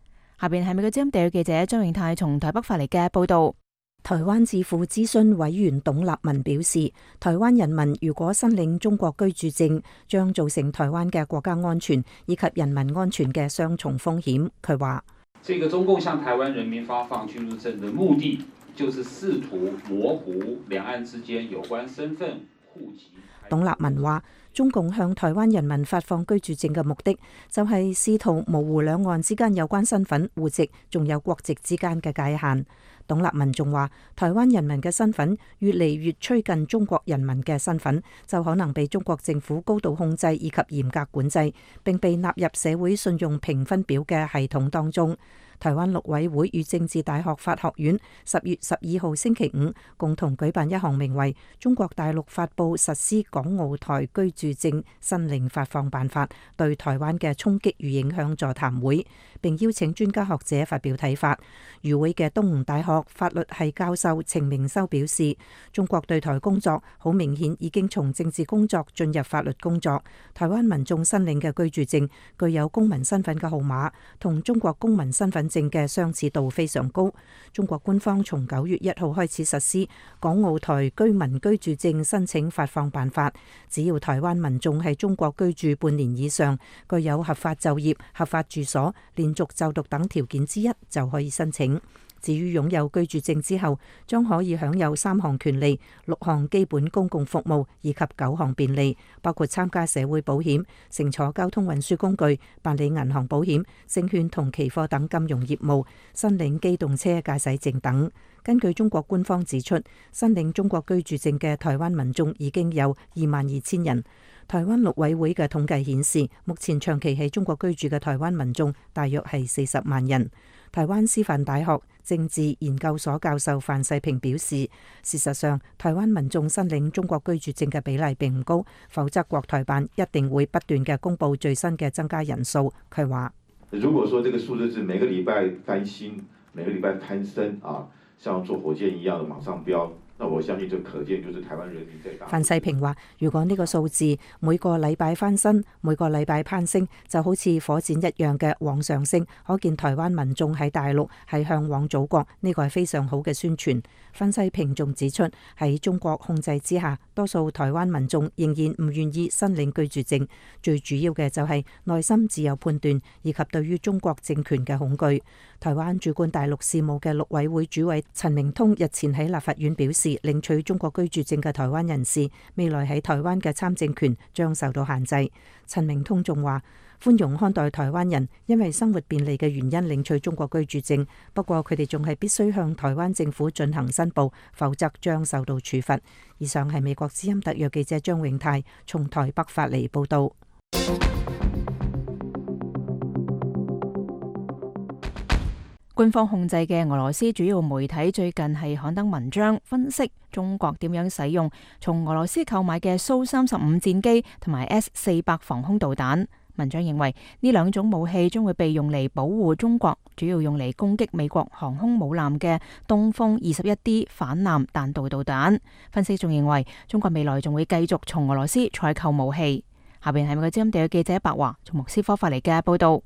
下邊係美國之音地區記者張永泰從台北發嚟嘅報道。台灣智庫諮詢委員董立文表示，台灣人民如果申領中國居住證，將造成台灣嘅國家安全以及人民安全嘅雙重風險。佢話：這個中共向台灣人民發放居住證的目的，就是試圖模糊兩岸之間有關身份、戶籍。董立文話，中共向台灣人民發放居住證嘅目的，就係試圖模糊兩岸之間有關身份、戶籍仲有國籍之間嘅界限。董立文仲話，台灣人民嘅身份越嚟越趨近中國人民嘅身份，就可能被中國政府高度控制以及嚴格管制，並被納入社會信用評分表嘅系統當中。台灣陸委會與政治大學法學院十月十二號星期五共同舉辦一項名為《中國大陸發布實施港澳台居住證申領發放辦法對台灣嘅衝擊與影響》座談會，並邀請專家學者發表睇法。與會嘅東吳大學法律系教授程明修表示，中國對台工作好明顯已經從政治工作進入法律工作。台灣民眾申領嘅居住證具有公民身份嘅號碼，同中國公民身份證嘅相似度非常高。中國官方從九月一號開始實施《港澳台居民居住證申請發放辦法》，只要台灣民眾喺中國居住半年以上，具有合法就業、合法住所、連續就讀等條件之一，就可以申請。至於擁有居住證之後，將可以享有三項權利、六項基本公共服務以及九項便利，包括參加社會保險、乘坐交通運輸工具、辦理銀行保險、證券同期貨等金融業務、申領機動車駕駛證等。根據中國官方指出，申領中國居住證嘅台灣民眾已經有二萬二千人。台灣陸委會嘅統計顯示，目前長期喺中國居住嘅台灣民眾大約係四十萬人。台灣師範大學政治研究所教授范世平表示，事實上，台灣民眾申領中國居住證嘅比例並唔高，否則國台辦一定會不斷嘅公布最新嘅增加人數。佢話：如果說這個數字是每個禮拜翻新，每個禮拜攀升啊，像坐火箭一樣的往上飆。那我相信就可見就是台灣人民在大。范世平話：如果呢個數字每個禮拜翻身，每個禮拜攀升，就好似火箭一樣嘅往上升，可見台灣民眾喺大陸係向往祖國，呢個係非常好嘅宣傳。范世平仲指出，喺中國控制之下，多數台灣民眾仍然唔願意申領居住證，最主要嘅就係內心自有判斷，以及對於中國政權嘅恐懼。台灣主管大陸事務嘅陸委會主委陳明通日前喺立法院表示，領取中國居住證嘅台灣人士未來喺台灣嘅參政權將受到限制。陳明通仲話，寬容看待台灣人因為生活便利嘅原因領取中國居住證，不過佢哋仲係必須向台灣政府進行申報，否則將受到處罰。以上係美國之音特約記者張永泰從台北發嚟報道。官方控制嘅俄羅斯主要媒體最近係刊登文章，分析中國點樣使用從俄羅斯購買嘅蘇三十五戰機同埋 S 四百防空導彈。文章認為呢兩種武器將會被用嚟保護中國，主要用嚟攻擊美國航空母艦嘅東風二十一 D 反艦彈道導彈。分析仲認為中國未來仲會繼續從俄羅斯採購武器。下邊係美國之音地嘅記者白華從莫斯科發嚟嘅報道。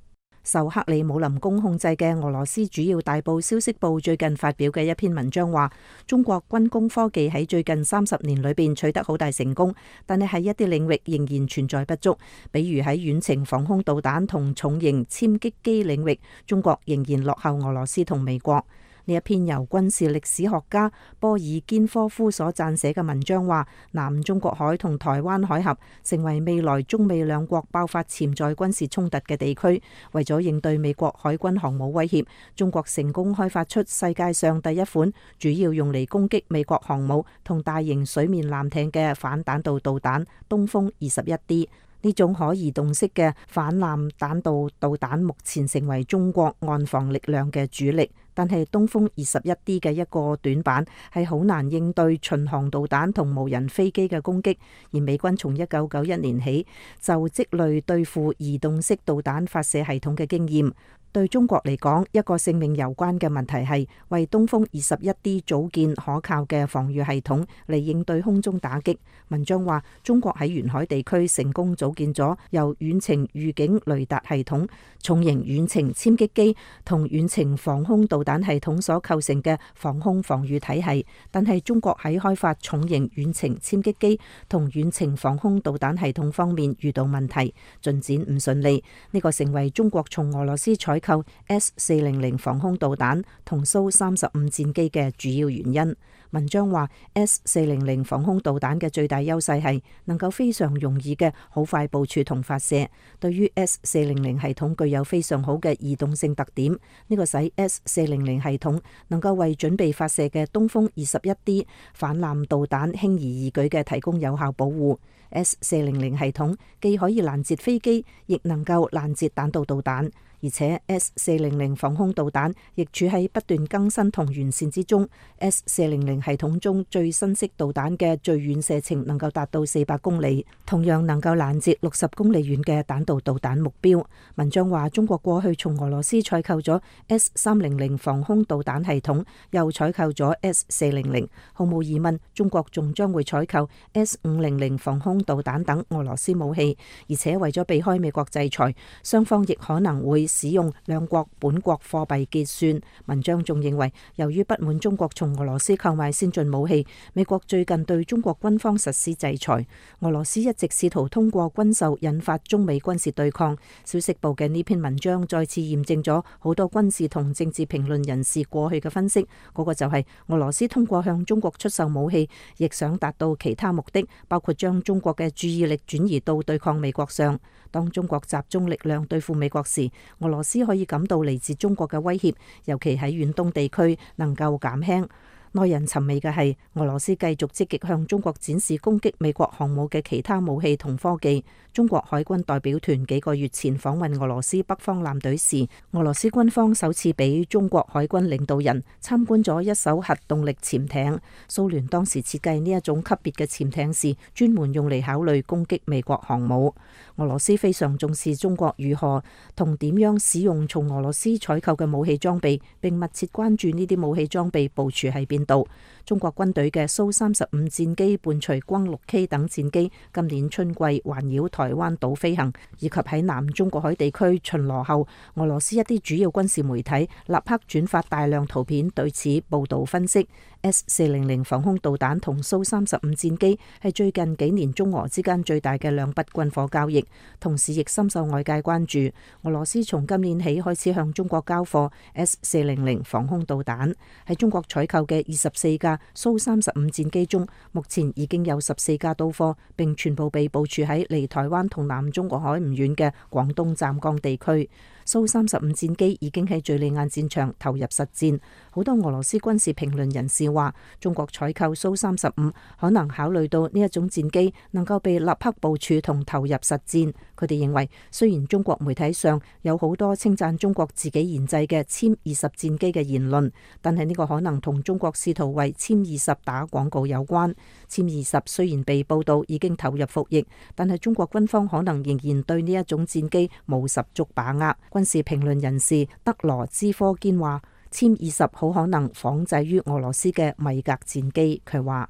受克里姆林宮控制嘅俄羅斯主要大報消息報最近發表嘅一篇文章話，中國軍工科技喺最近三十年裏邊取得好大成功，但係喺一啲領域仍然存在不足，比如喺遠程防空導彈同重型殲擊機領域，中國仍然落後俄羅斯同美國。呢一篇由軍事歷史學家波爾堅科夫所撰寫嘅文章話，南中國海同台灣海峽成為未來中美兩國爆發潛在軍事衝突嘅地區。為咗應對美國海軍航母威脅，中國成功開發出世界上第一款主要用嚟攻擊美國航母同大型水面艦艇嘅反彈道導彈東風二十一 D。呢種可移動式嘅反艦彈道導彈目前成為中國岸防力量嘅主力，但係東風二十一 D 嘅一個短板係好難應對巡航導彈同無人飛機嘅攻擊，而美軍從一九九一年起就積累對付移動式導彈發射系統嘅經驗。對中國嚟講，一個性命攸關嘅問題係為東風二十一 D 組建可靠嘅防禦系統嚟應對空中打擊。文章話，中國喺沿海地區成功組建咗由遠程預警雷達系統、重型遠程殲擊機同遠程防空導彈系統所構成嘅防空防禦體系，但係中國喺開發重型遠程殲擊機同遠程防空導彈系統方面遇到問題，進展唔順利。呢個成為中國從俄羅斯採購 S 四零零防空導彈同蘇三十五戰機嘅主要原因。文章話 S 四零零防空導彈嘅最大優勢係能夠非常容易嘅好快部署同發射。對於 S 四零零系統具有非常好嘅移動性特點，呢個使 S 四零零系統能夠為準備發射嘅東風二十一 D 反艦導彈輕而易舉嘅提供有效保護。S 四零零系統既可以攔截飛機，亦能夠攔截彈道導彈。而且 S 四零零防空導彈亦處喺不斷更新同完善之中。S 四零零系統中最新式導彈嘅最遠射程能夠達到四百公里，同樣能夠攔截六十公里遠嘅彈道導彈目標。文章話中國過去從俄羅斯採購咗 S 三零零防空導彈系統，又採購咗 S 四零零，毫無疑問中國仲將會採購 S 五零零防空導彈等俄羅斯武器。而且為咗避開美國制裁，雙方亦可能會使用兩國本國貨幣結算。文章仲認為，由於不滿中國從俄羅斯購買先進武器，美國最近對中國軍方實施制裁。俄羅斯一直試圖通過軍售引發中美軍事對抗。消息報嘅呢篇文章再次驗證咗好多軍事同政治評論人士過去嘅分析，嗰、那個就係俄羅斯通過向中國出售武器，亦想達到其他目的，包括將中國嘅注意力轉移到對抗美國上。當中國集中力量對付美國時，俄羅斯可以感到嚟自中國嘅威脅，尤其喺遠東地區能夠減輕。耐人尋味嘅係，俄羅斯繼續積極向中國展示攻擊美國航母嘅其他武器同科技。中國海軍代表團幾個月前訪問俄羅斯北方艦隊時，俄羅斯軍方首次俾中國海軍領導人參觀咗一艘核動力潛艇。蘇聯當時設計呢一種級別嘅潛艇時，專門用嚟考慮攻擊美國航母。俄羅斯非常重視中國如何同點樣使用從俄羅斯採購嘅武器裝備，並密切關注呢啲武器裝備部署喺邊度。中國軍隊嘅蘇三十五戰機伴隨轟六 K 等戰機今年春季環繞台灣島飛行，以及喺南中國海地區巡邏後，俄羅斯一啲主要軍事媒體立刻轉發大量圖片對此報道分析。S 四零零防空導彈同蘇三十五戰機係最近幾年中俄之間最大嘅兩筆軍火交易，同時亦深受外界關注。俄羅斯從今年起開始向中國交貨 S 四零零防空導彈，喺中國採購嘅二十四架蘇三十五戰機中，目前已經有十四架到貨，並全部被部署喺離台灣同南中國海唔遠嘅廣東湛江地區。蘇三十五戰機已經喺敘利亞戰場投入實戰。好多俄羅斯軍事評論人士話，中國採購蘇三十五可能考慮到呢一種戰機能夠被立刻部署同投入實戰。佢哋認為，雖然中國媒體上有好多稱讚中國自己研製嘅殲二十戰機嘅言論，但係呢個可能同中國試圖為殲二十打廣告有關。殲二十雖然被報道已經投入服役，但係中國軍方可能仍然對呢一種戰機冇十足把握。軍事評論人士德羅茲科堅話，殲二十好可能仿製於俄羅斯嘅米格戰機。佢話，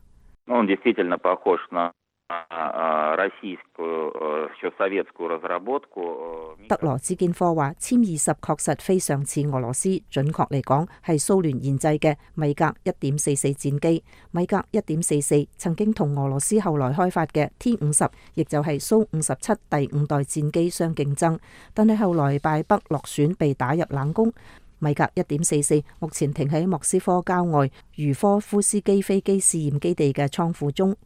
德羅茲堅科話，殲二十確實非常似俄羅斯，準確嚟講係蘇聯研製嘅米格一點四四戰機。米格一點四四曾經同俄羅斯後來開發嘅 T 五十，亦就係蘇五十七第五代戰機相競爭，但係後來敗北落選，被打入冷宮。米格一點四四目前停喺莫斯科郊外茹科夫斯基飛機試驗基地嘅倉庫中。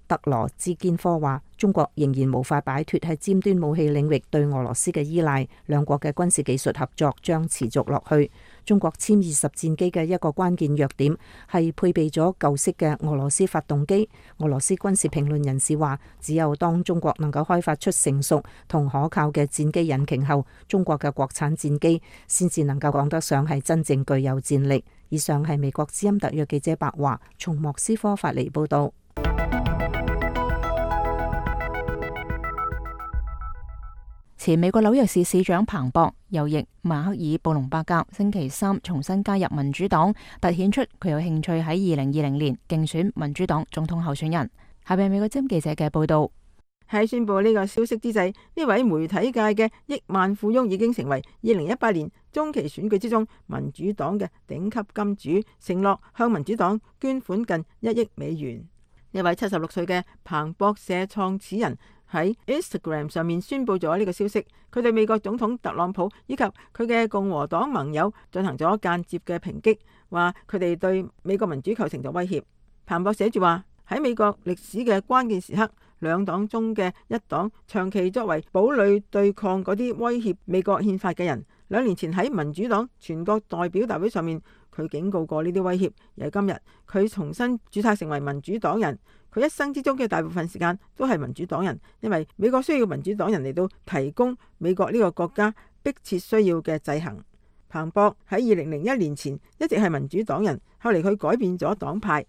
德羅茲堅科話，中國仍然無法擺脫喺尖端武器領域對俄羅斯嘅依賴，兩國嘅軍事技術合作將持續落去。中國殲二十戰機嘅一個關鍵弱點係配備咗舊式嘅俄羅斯發動機。俄羅斯軍事評論人士話，只有當中國能夠開發出成熟同可靠嘅戰機引擎後，中國嘅國產戰機先至能夠講得上係真正具有戰力。以上係美國之音特約記者白華從莫斯科發嚟報道。前美國紐約市市長彭博右翼馬克爾布隆伯格星期三重新加入民主黨，凸顯出佢有興趣喺二零二零年競選民主黨總統候選人。下邊美國之音記者嘅報道。喺宣布呢個消息之際，呢位媒體界嘅億萬富翁已經成為二零一八年中期選舉之中民主黨嘅頂級金主，承諾向民主黨捐款近一億美元。呢位七十六歲嘅彭博社創始人喺 Instagram 上面宣布咗呢個消息，佢對美國總統特朗普以及佢嘅共和黨盟友進行咗間接嘅抨擊，話佢哋對美國民主構成咗威脅。彭博寫住話，喺美國歷史嘅關鍵時刻，兩黨中嘅一黨長期作為堡壘對抗嗰啲威脅美國憲法嘅人。兩年前喺民主黨全國代表大會上面，佢警告過呢啲威脅，而係今日佢重新註冊成為民主黨人。佢一生之中嘅大部分時間都係民主黨人，因為美國需要民主黨人嚟到提供美國呢個國家迫切需要嘅制衡。彭博喺二零零一年前一直係民主黨人，後嚟佢改變咗黨派，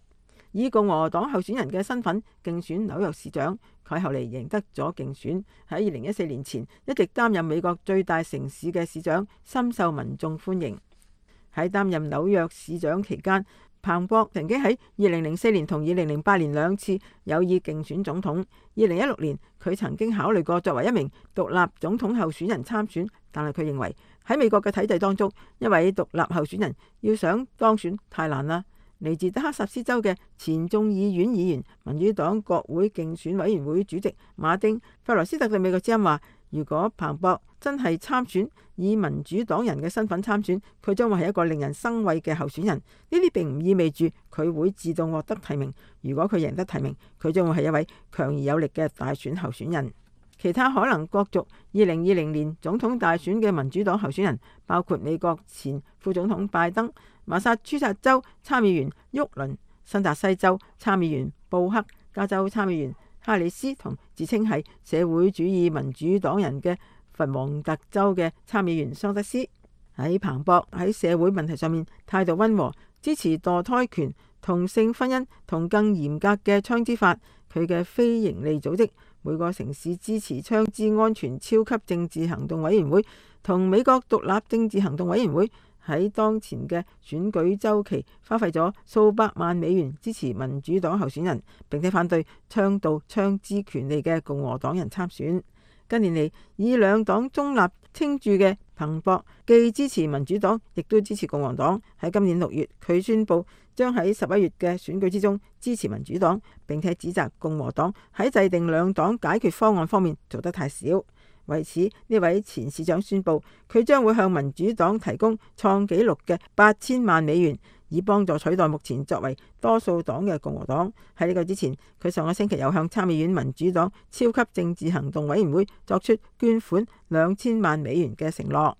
以共和黨候選人嘅身份競選紐約市長。佢後嚟贏得咗競選，喺二零一四年前一直擔任美國最大城市嘅市長，深受民眾歡迎。喺擔任紐約市長期間，彭博曾經喺二零零四年同二零零八年兩次有意競選總統。二零一六年佢曾經考慮過作為一名獨立總統候選人參選，但係佢認為喺美國嘅體制當中，一位獨立候選人要想當選太難啦。嚟自德克薩斯州嘅前眾議院議員、民主黨國會競選委員會主席馬丁·費萊斯特對美國之音話，如果彭博真係參選，以民主黨人嘅身份參選，佢將會係一個令人生畏嘅候選人。呢啲並唔意味住佢會自動獲得提名。如果佢贏得提名，佢將會係一位強而有力嘅大選候選人。其他可能角逐二零二零年總統大選嘅民主黨候選人包括美國前副總統拜登、馬薩諸塞州參議員沃倫、新澤西州參議員布克、加州參議員哈里斯同自稱係社會主義民主黨人嘅佛蒙特州嘅參議員桑德斯。喺彭博喺社會問題上面態度溫和，支持墮胎權、同性婚姻同更嚴格嘅槍支法。佢嘅非營利組織每個城市支持槍支安全超級政治行動委員會同美國獨立政治行動委員會喺當前嘅選舉週期花費咗數百萬美元支持民主黨候選人，並且反對倡導槍支權利嘅共和黨人參選。近年嚟，以兩黨中立稱著嘅彭博既支持民主黨，亦都支持共和黨。喺今年六月，佢宣布將喺十一月嘅選舉之中支持民主黨，並且指責共和黨喺制定兩黨解決方案方面做得太少。為此，呢位前市長宣布，佢將會向民主黨提供創紀錄嘅八千萬美元，以幫助取代目前作為多數黨嘅共和黨。喺呢個之前，佢上個星期又向參議院民主黨超級政治行動委員會作出捐款兩千萬美元嘅承諾。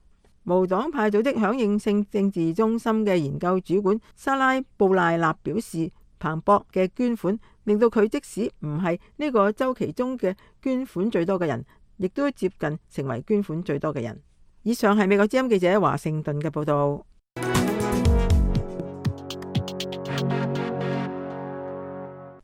無黨派組織響應性政治中心嘅研究主管莎拉布賴納表示，彭博嘅捐款令到佢即使唔係呢個週期中嘅捐款最多嘅人，亦都接近成為捐款最多嘅人。以上係美國之音記者華盛頓嘅報道。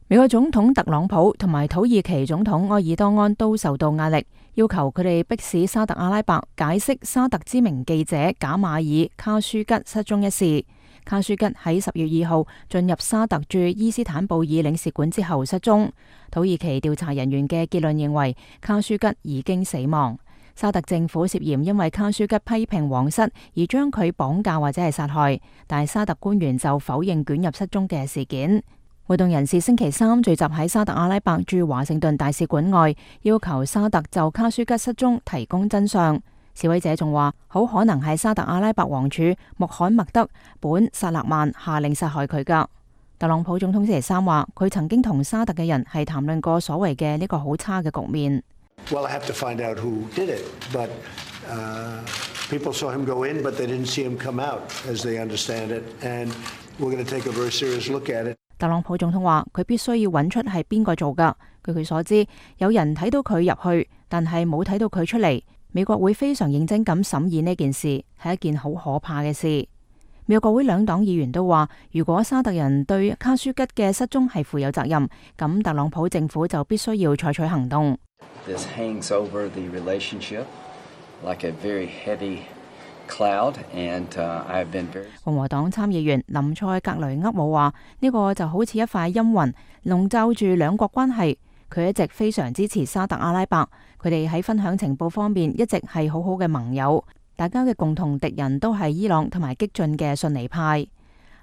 美國總統特朗普同埋土耳其總統埃爾多安都受到壓力，要求佢哋迫使沙特阿拉伯解釋沙特知名記者賈馬爾卡舒吉失蹤一事。卡舒吉喺十月二號進入沙特駐伊斯坦布爾領事館之後失蹤。土耳其調查人員嘅結論認為卡舒吉已經死亡。沙特政府涉嫌因為卡舒吉批評皇室而將佢綁架或者係殺害，但係沙特官員就否認捲入失蹤嘅事件。活動人士星期三聚集喺沙特阿拉伯駐華盛頓大使館外，要求沙特就卡舒吉失蹤提供真相。示威者仲話，好可能係沙特阿拉伯王儲穆罕默德本薩勒曼下令殺害佢噶。特朗普總統星期三話，佢曾經同沙特嘅人係談論過所謂嘅呢個好差嘅局面。Well, I have to find out who did it, but uh, people saw him go in, but they didn't see him come out, as they understand it, and we're going to take a very serious look at it. 特朗普總統話，佢必須要揾出係邊個做噶。據佢所知，有人睇到佢入去，但係冇睇到佢出嚟。美國會非常認真咁審議呢件事，係一件好可怕嘅事。美國國會兩黨議員都話，如果沙特人對卡舒吉嘅失蹤係負有責任，咁特朗普政府就必須要採取行動。This hangs over the relationship like a very heavy cloud, and uh, I have been very... 共和黨參議員林塞格雷厄姆話，呢個就好似一塊陰雲籠罩住兩國關係。佢一直非常支持沙特阿拉伯，佢哋喺分享情報方面一直係好好嘅盟友。大家嘅共同敵人都係伊朗同埋激進嘅遜尼派。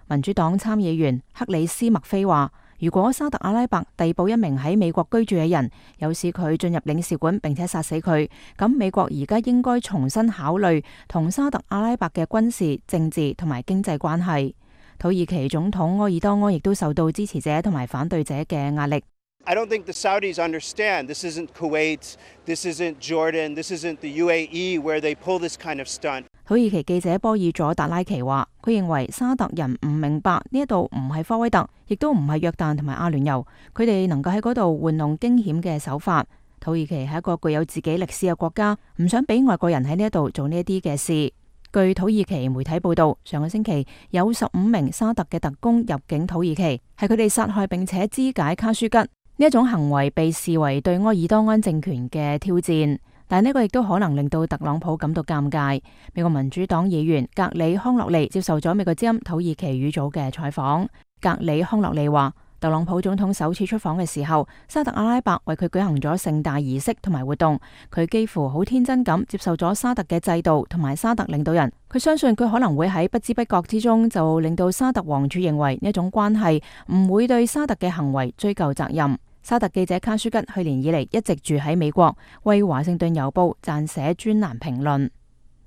民主黨參議員克里斯麥菲話，如果沙特阿拉伯逮捕一名喺美國居住嘅人，誘使佢進入領事館並且殺死佢，咁美國而家應該重新考慮同沙特阿拉伯嘅軍事、政治同埋經濟關係。土耳其總統埃爾多安亦都受到支持者同埋反對者嘅壓力。I don't think the Saudis understand. This isn't Kuwait, this isn't Jordan, this isn't the U A E where they pull this kind of stunt. 土耳其記者波爾佐達拉奇話，佢認為沙特人唔明白呢一度唔係科威特，亦都唔係約旦同埋阿聯酋，佢哋能夠喺嗰度玩弄驚險嘅手法。土耳其係一個具有自己歷史嘅國家，唔想俾外國人喺呢一度做呢一啲嘅事。據土耳其媒體報道，上個星期有十五名沙特嘅特工入境土耳其，係佢哋殺害並且肢解卡舒吉。呢一種行為被視為對埃爾多安政權嘅挑戰，但呢個亦都可能令到特朗普感到尷尬。美國民主黨議員格里康諾利接受咗美國之音土耳其語組嘅採訪。格里康諾利話，特朗普總統首次出訪嘅時候，沙特阿拉伯為佢舉行咗盛大儀式同埋活動，佢幾乎好天真咁接受咗沙特嘅制度同埋沙特領導人。佢相信佢可能會喺不知不覺之中就令到沙特王儲認為呢一種關係唔會對沙特嘅行為追究責任。沙特記者卡舒吉去年以嚟一直住喺美國，為華盛頓郵報撰寫專欄評論。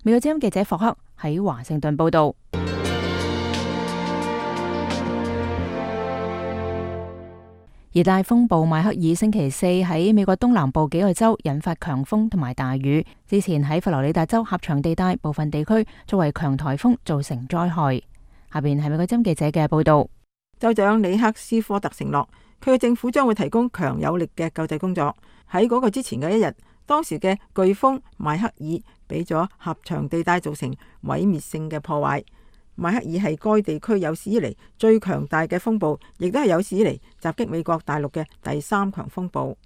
美國之音記者霍克喺華盛頓報道。熱帶風暴邁克爾星期四喺美國東南部幾個州引發強風同埋大雨，之前喺佛羅里達州狹長地帶部分地區作為強颱風造成災害。下邊係美國之音記者嘅報道。州長里克斯科特承諾，佢嘅政府將會提供強有力嘅救濟工作。喺嗰個之前嘅一日，當時嘅颶風邁克爾俾咗狹長地帶造成毀滅性嘅破壞。邁克爾係該地區有史以嚟最強大嘅風暴，亦都係有史以嚟襲擊美國大陸嘅第三強風暴。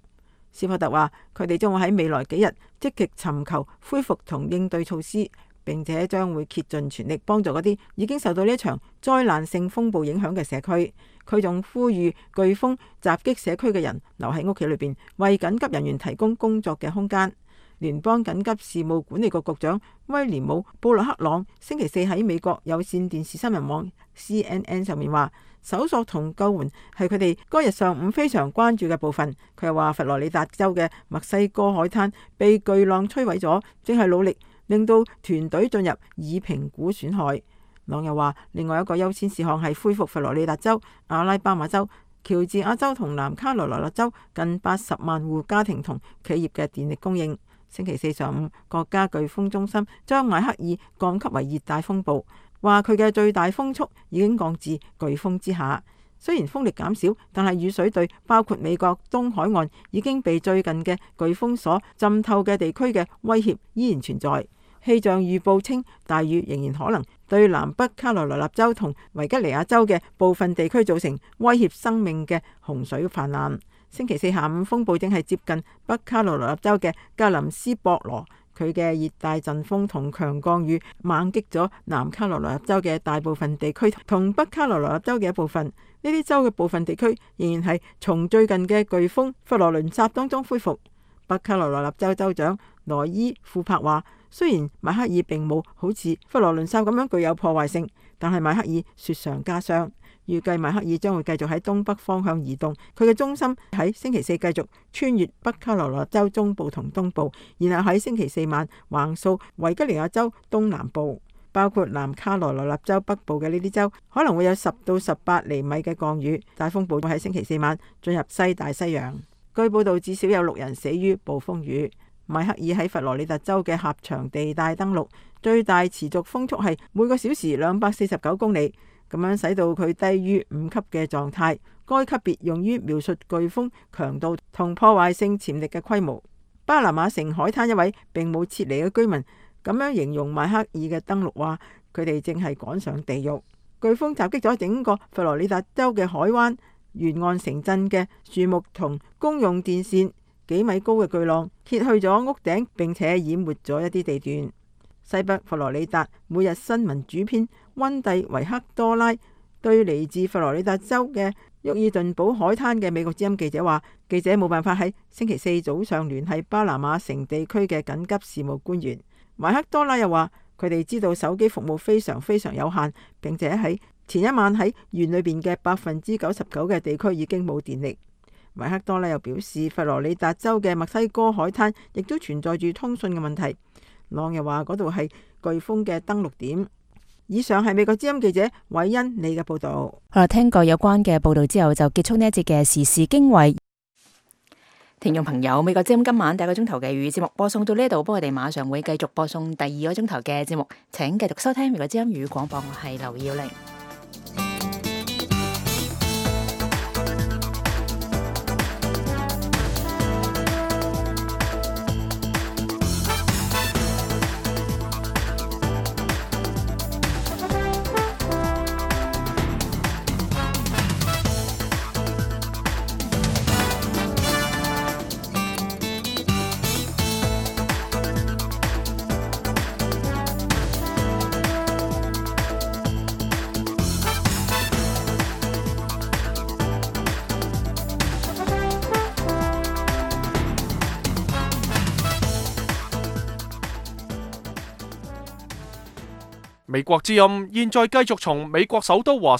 斯科特話，佢哋將會喺未來幾日積極尋求恢復同應對措施，並且將會竭盡全力幫助嗰啲已經受到呢一場災難性風暴影響嘅社區。佢仲呼籲颶風襲擊社區嘅人留喺屋企裏邊，為緊急人員提供工作嘅空間。聯邦緊急事務管理局局長威廉姆布洛克朗星期四喺美國有線電視新聞網 C N N 上面話，搜索同救援係佢哋該日上午非常關注嘅部分。佢又話，佛羅里達州嘅墨西哥海灘被巨浪摧毀咗，正係努力令到團隊進入以評估損害。朗又話，另外一個優先事項係恢復佛羅里達州、阿拉巴馬州、喬治亞州同南卡羅來納州近八十萬戶家庭同企業嘅電力供應。星期四上午，國家颶風中心將邁克爾降級為熱帶風暴，話佢嘅最大風速已經降至颶風之下。雖然風力減少，但係雨水對包括美國東海岸已經被最近嘅颶風所浸透嘅地區嘅威脅依然存在。氣象預報稱，大雨仍然可能對南北卡羅來納州同維吉尼亞州嘅部分地區造成威脅生命嘅洪水泛濫。星期四下午，風暴正係接近北卡羅來納州嘅格林斯博羅，佢嘅熱帶陣風同強降雨猛擊咗南卡羅來納州嘅大部分地區同北卡羅來納州嘅一部分。呢啲州嘅部分地區仍然係從最近嘅颶風佛羅倫薩當中恢復。北卡羅來納州州長羅伊庫珀話，雖然邁克爾並冇好似佛羅倫薩咁樣具有破壞性，但係邁克爾雪上加霜。預計邁克爾將會繼續喺東北方向移動，佢嘅中心喺星期四繼續穿越北卡羅來納州中部同東部，然後喺星期四晚橫掃維吉尼亞州東南部，包括南卡羅來納州北部嘅呢啲州可能會有十到十八厘米嘅降雨。大風暴會喺星期四晚進入西大西洋。據報道，至少有六人死於暴風雨。邁克爾喺佛羅里達州嘅狹長地帶登陸，最大持續風速係每個小時兩百四十九公里。咁樣使到佢低於五級嘅狀態，該級別用於描述颶風強度同破壞性潛力嘅規模。巴拿馬城海灘一位並冇撤離嘅居民咁樣形容邁克爾嘅登陸，話佢哋正係趕上地獄。颶風襲擊咗整個佛羅里達州嘅海灣沿岸城鎮嘅樹木同公用電線，幾米高嘅巨浪揭去咗屋頂，並且淹沒咗一啲地段。西北佛羅里達每日新聞主編溫蒂維克多拉對嚟自佛羅里達州嘅沃爾頓堡海灘嘅美國之音記者話，記者冇辦法喺星期四早上聯繫巴拿馬城地區嘅緊急事務官員。維克多拉又話，佢哋知道手機服務非常非常有限，並且喺前一晚喺縣裏邊嘅百分之九十九嘅地區已經冇電力。維克多呢又表示，佛羅里達州嘅墨西哥海灘亦都存在住通訊嘅問題。朗又話嗰度係颶風嘅登陸點。以上係美國之音記者韋恩你嘅報道。好啦，聽過有關嘅報道之後，就結束呢一節嘅時事經緯。聽眾朋友，美國之音今晚第一個鐘頭嘅粵語節目播送到呢度，不過我哋馬上會繼續播送第二個鐘頭嘅節目，請繼續收聽美國之音粵語廣播。我係劉耀玲。美國之音現在繼續從美國首都華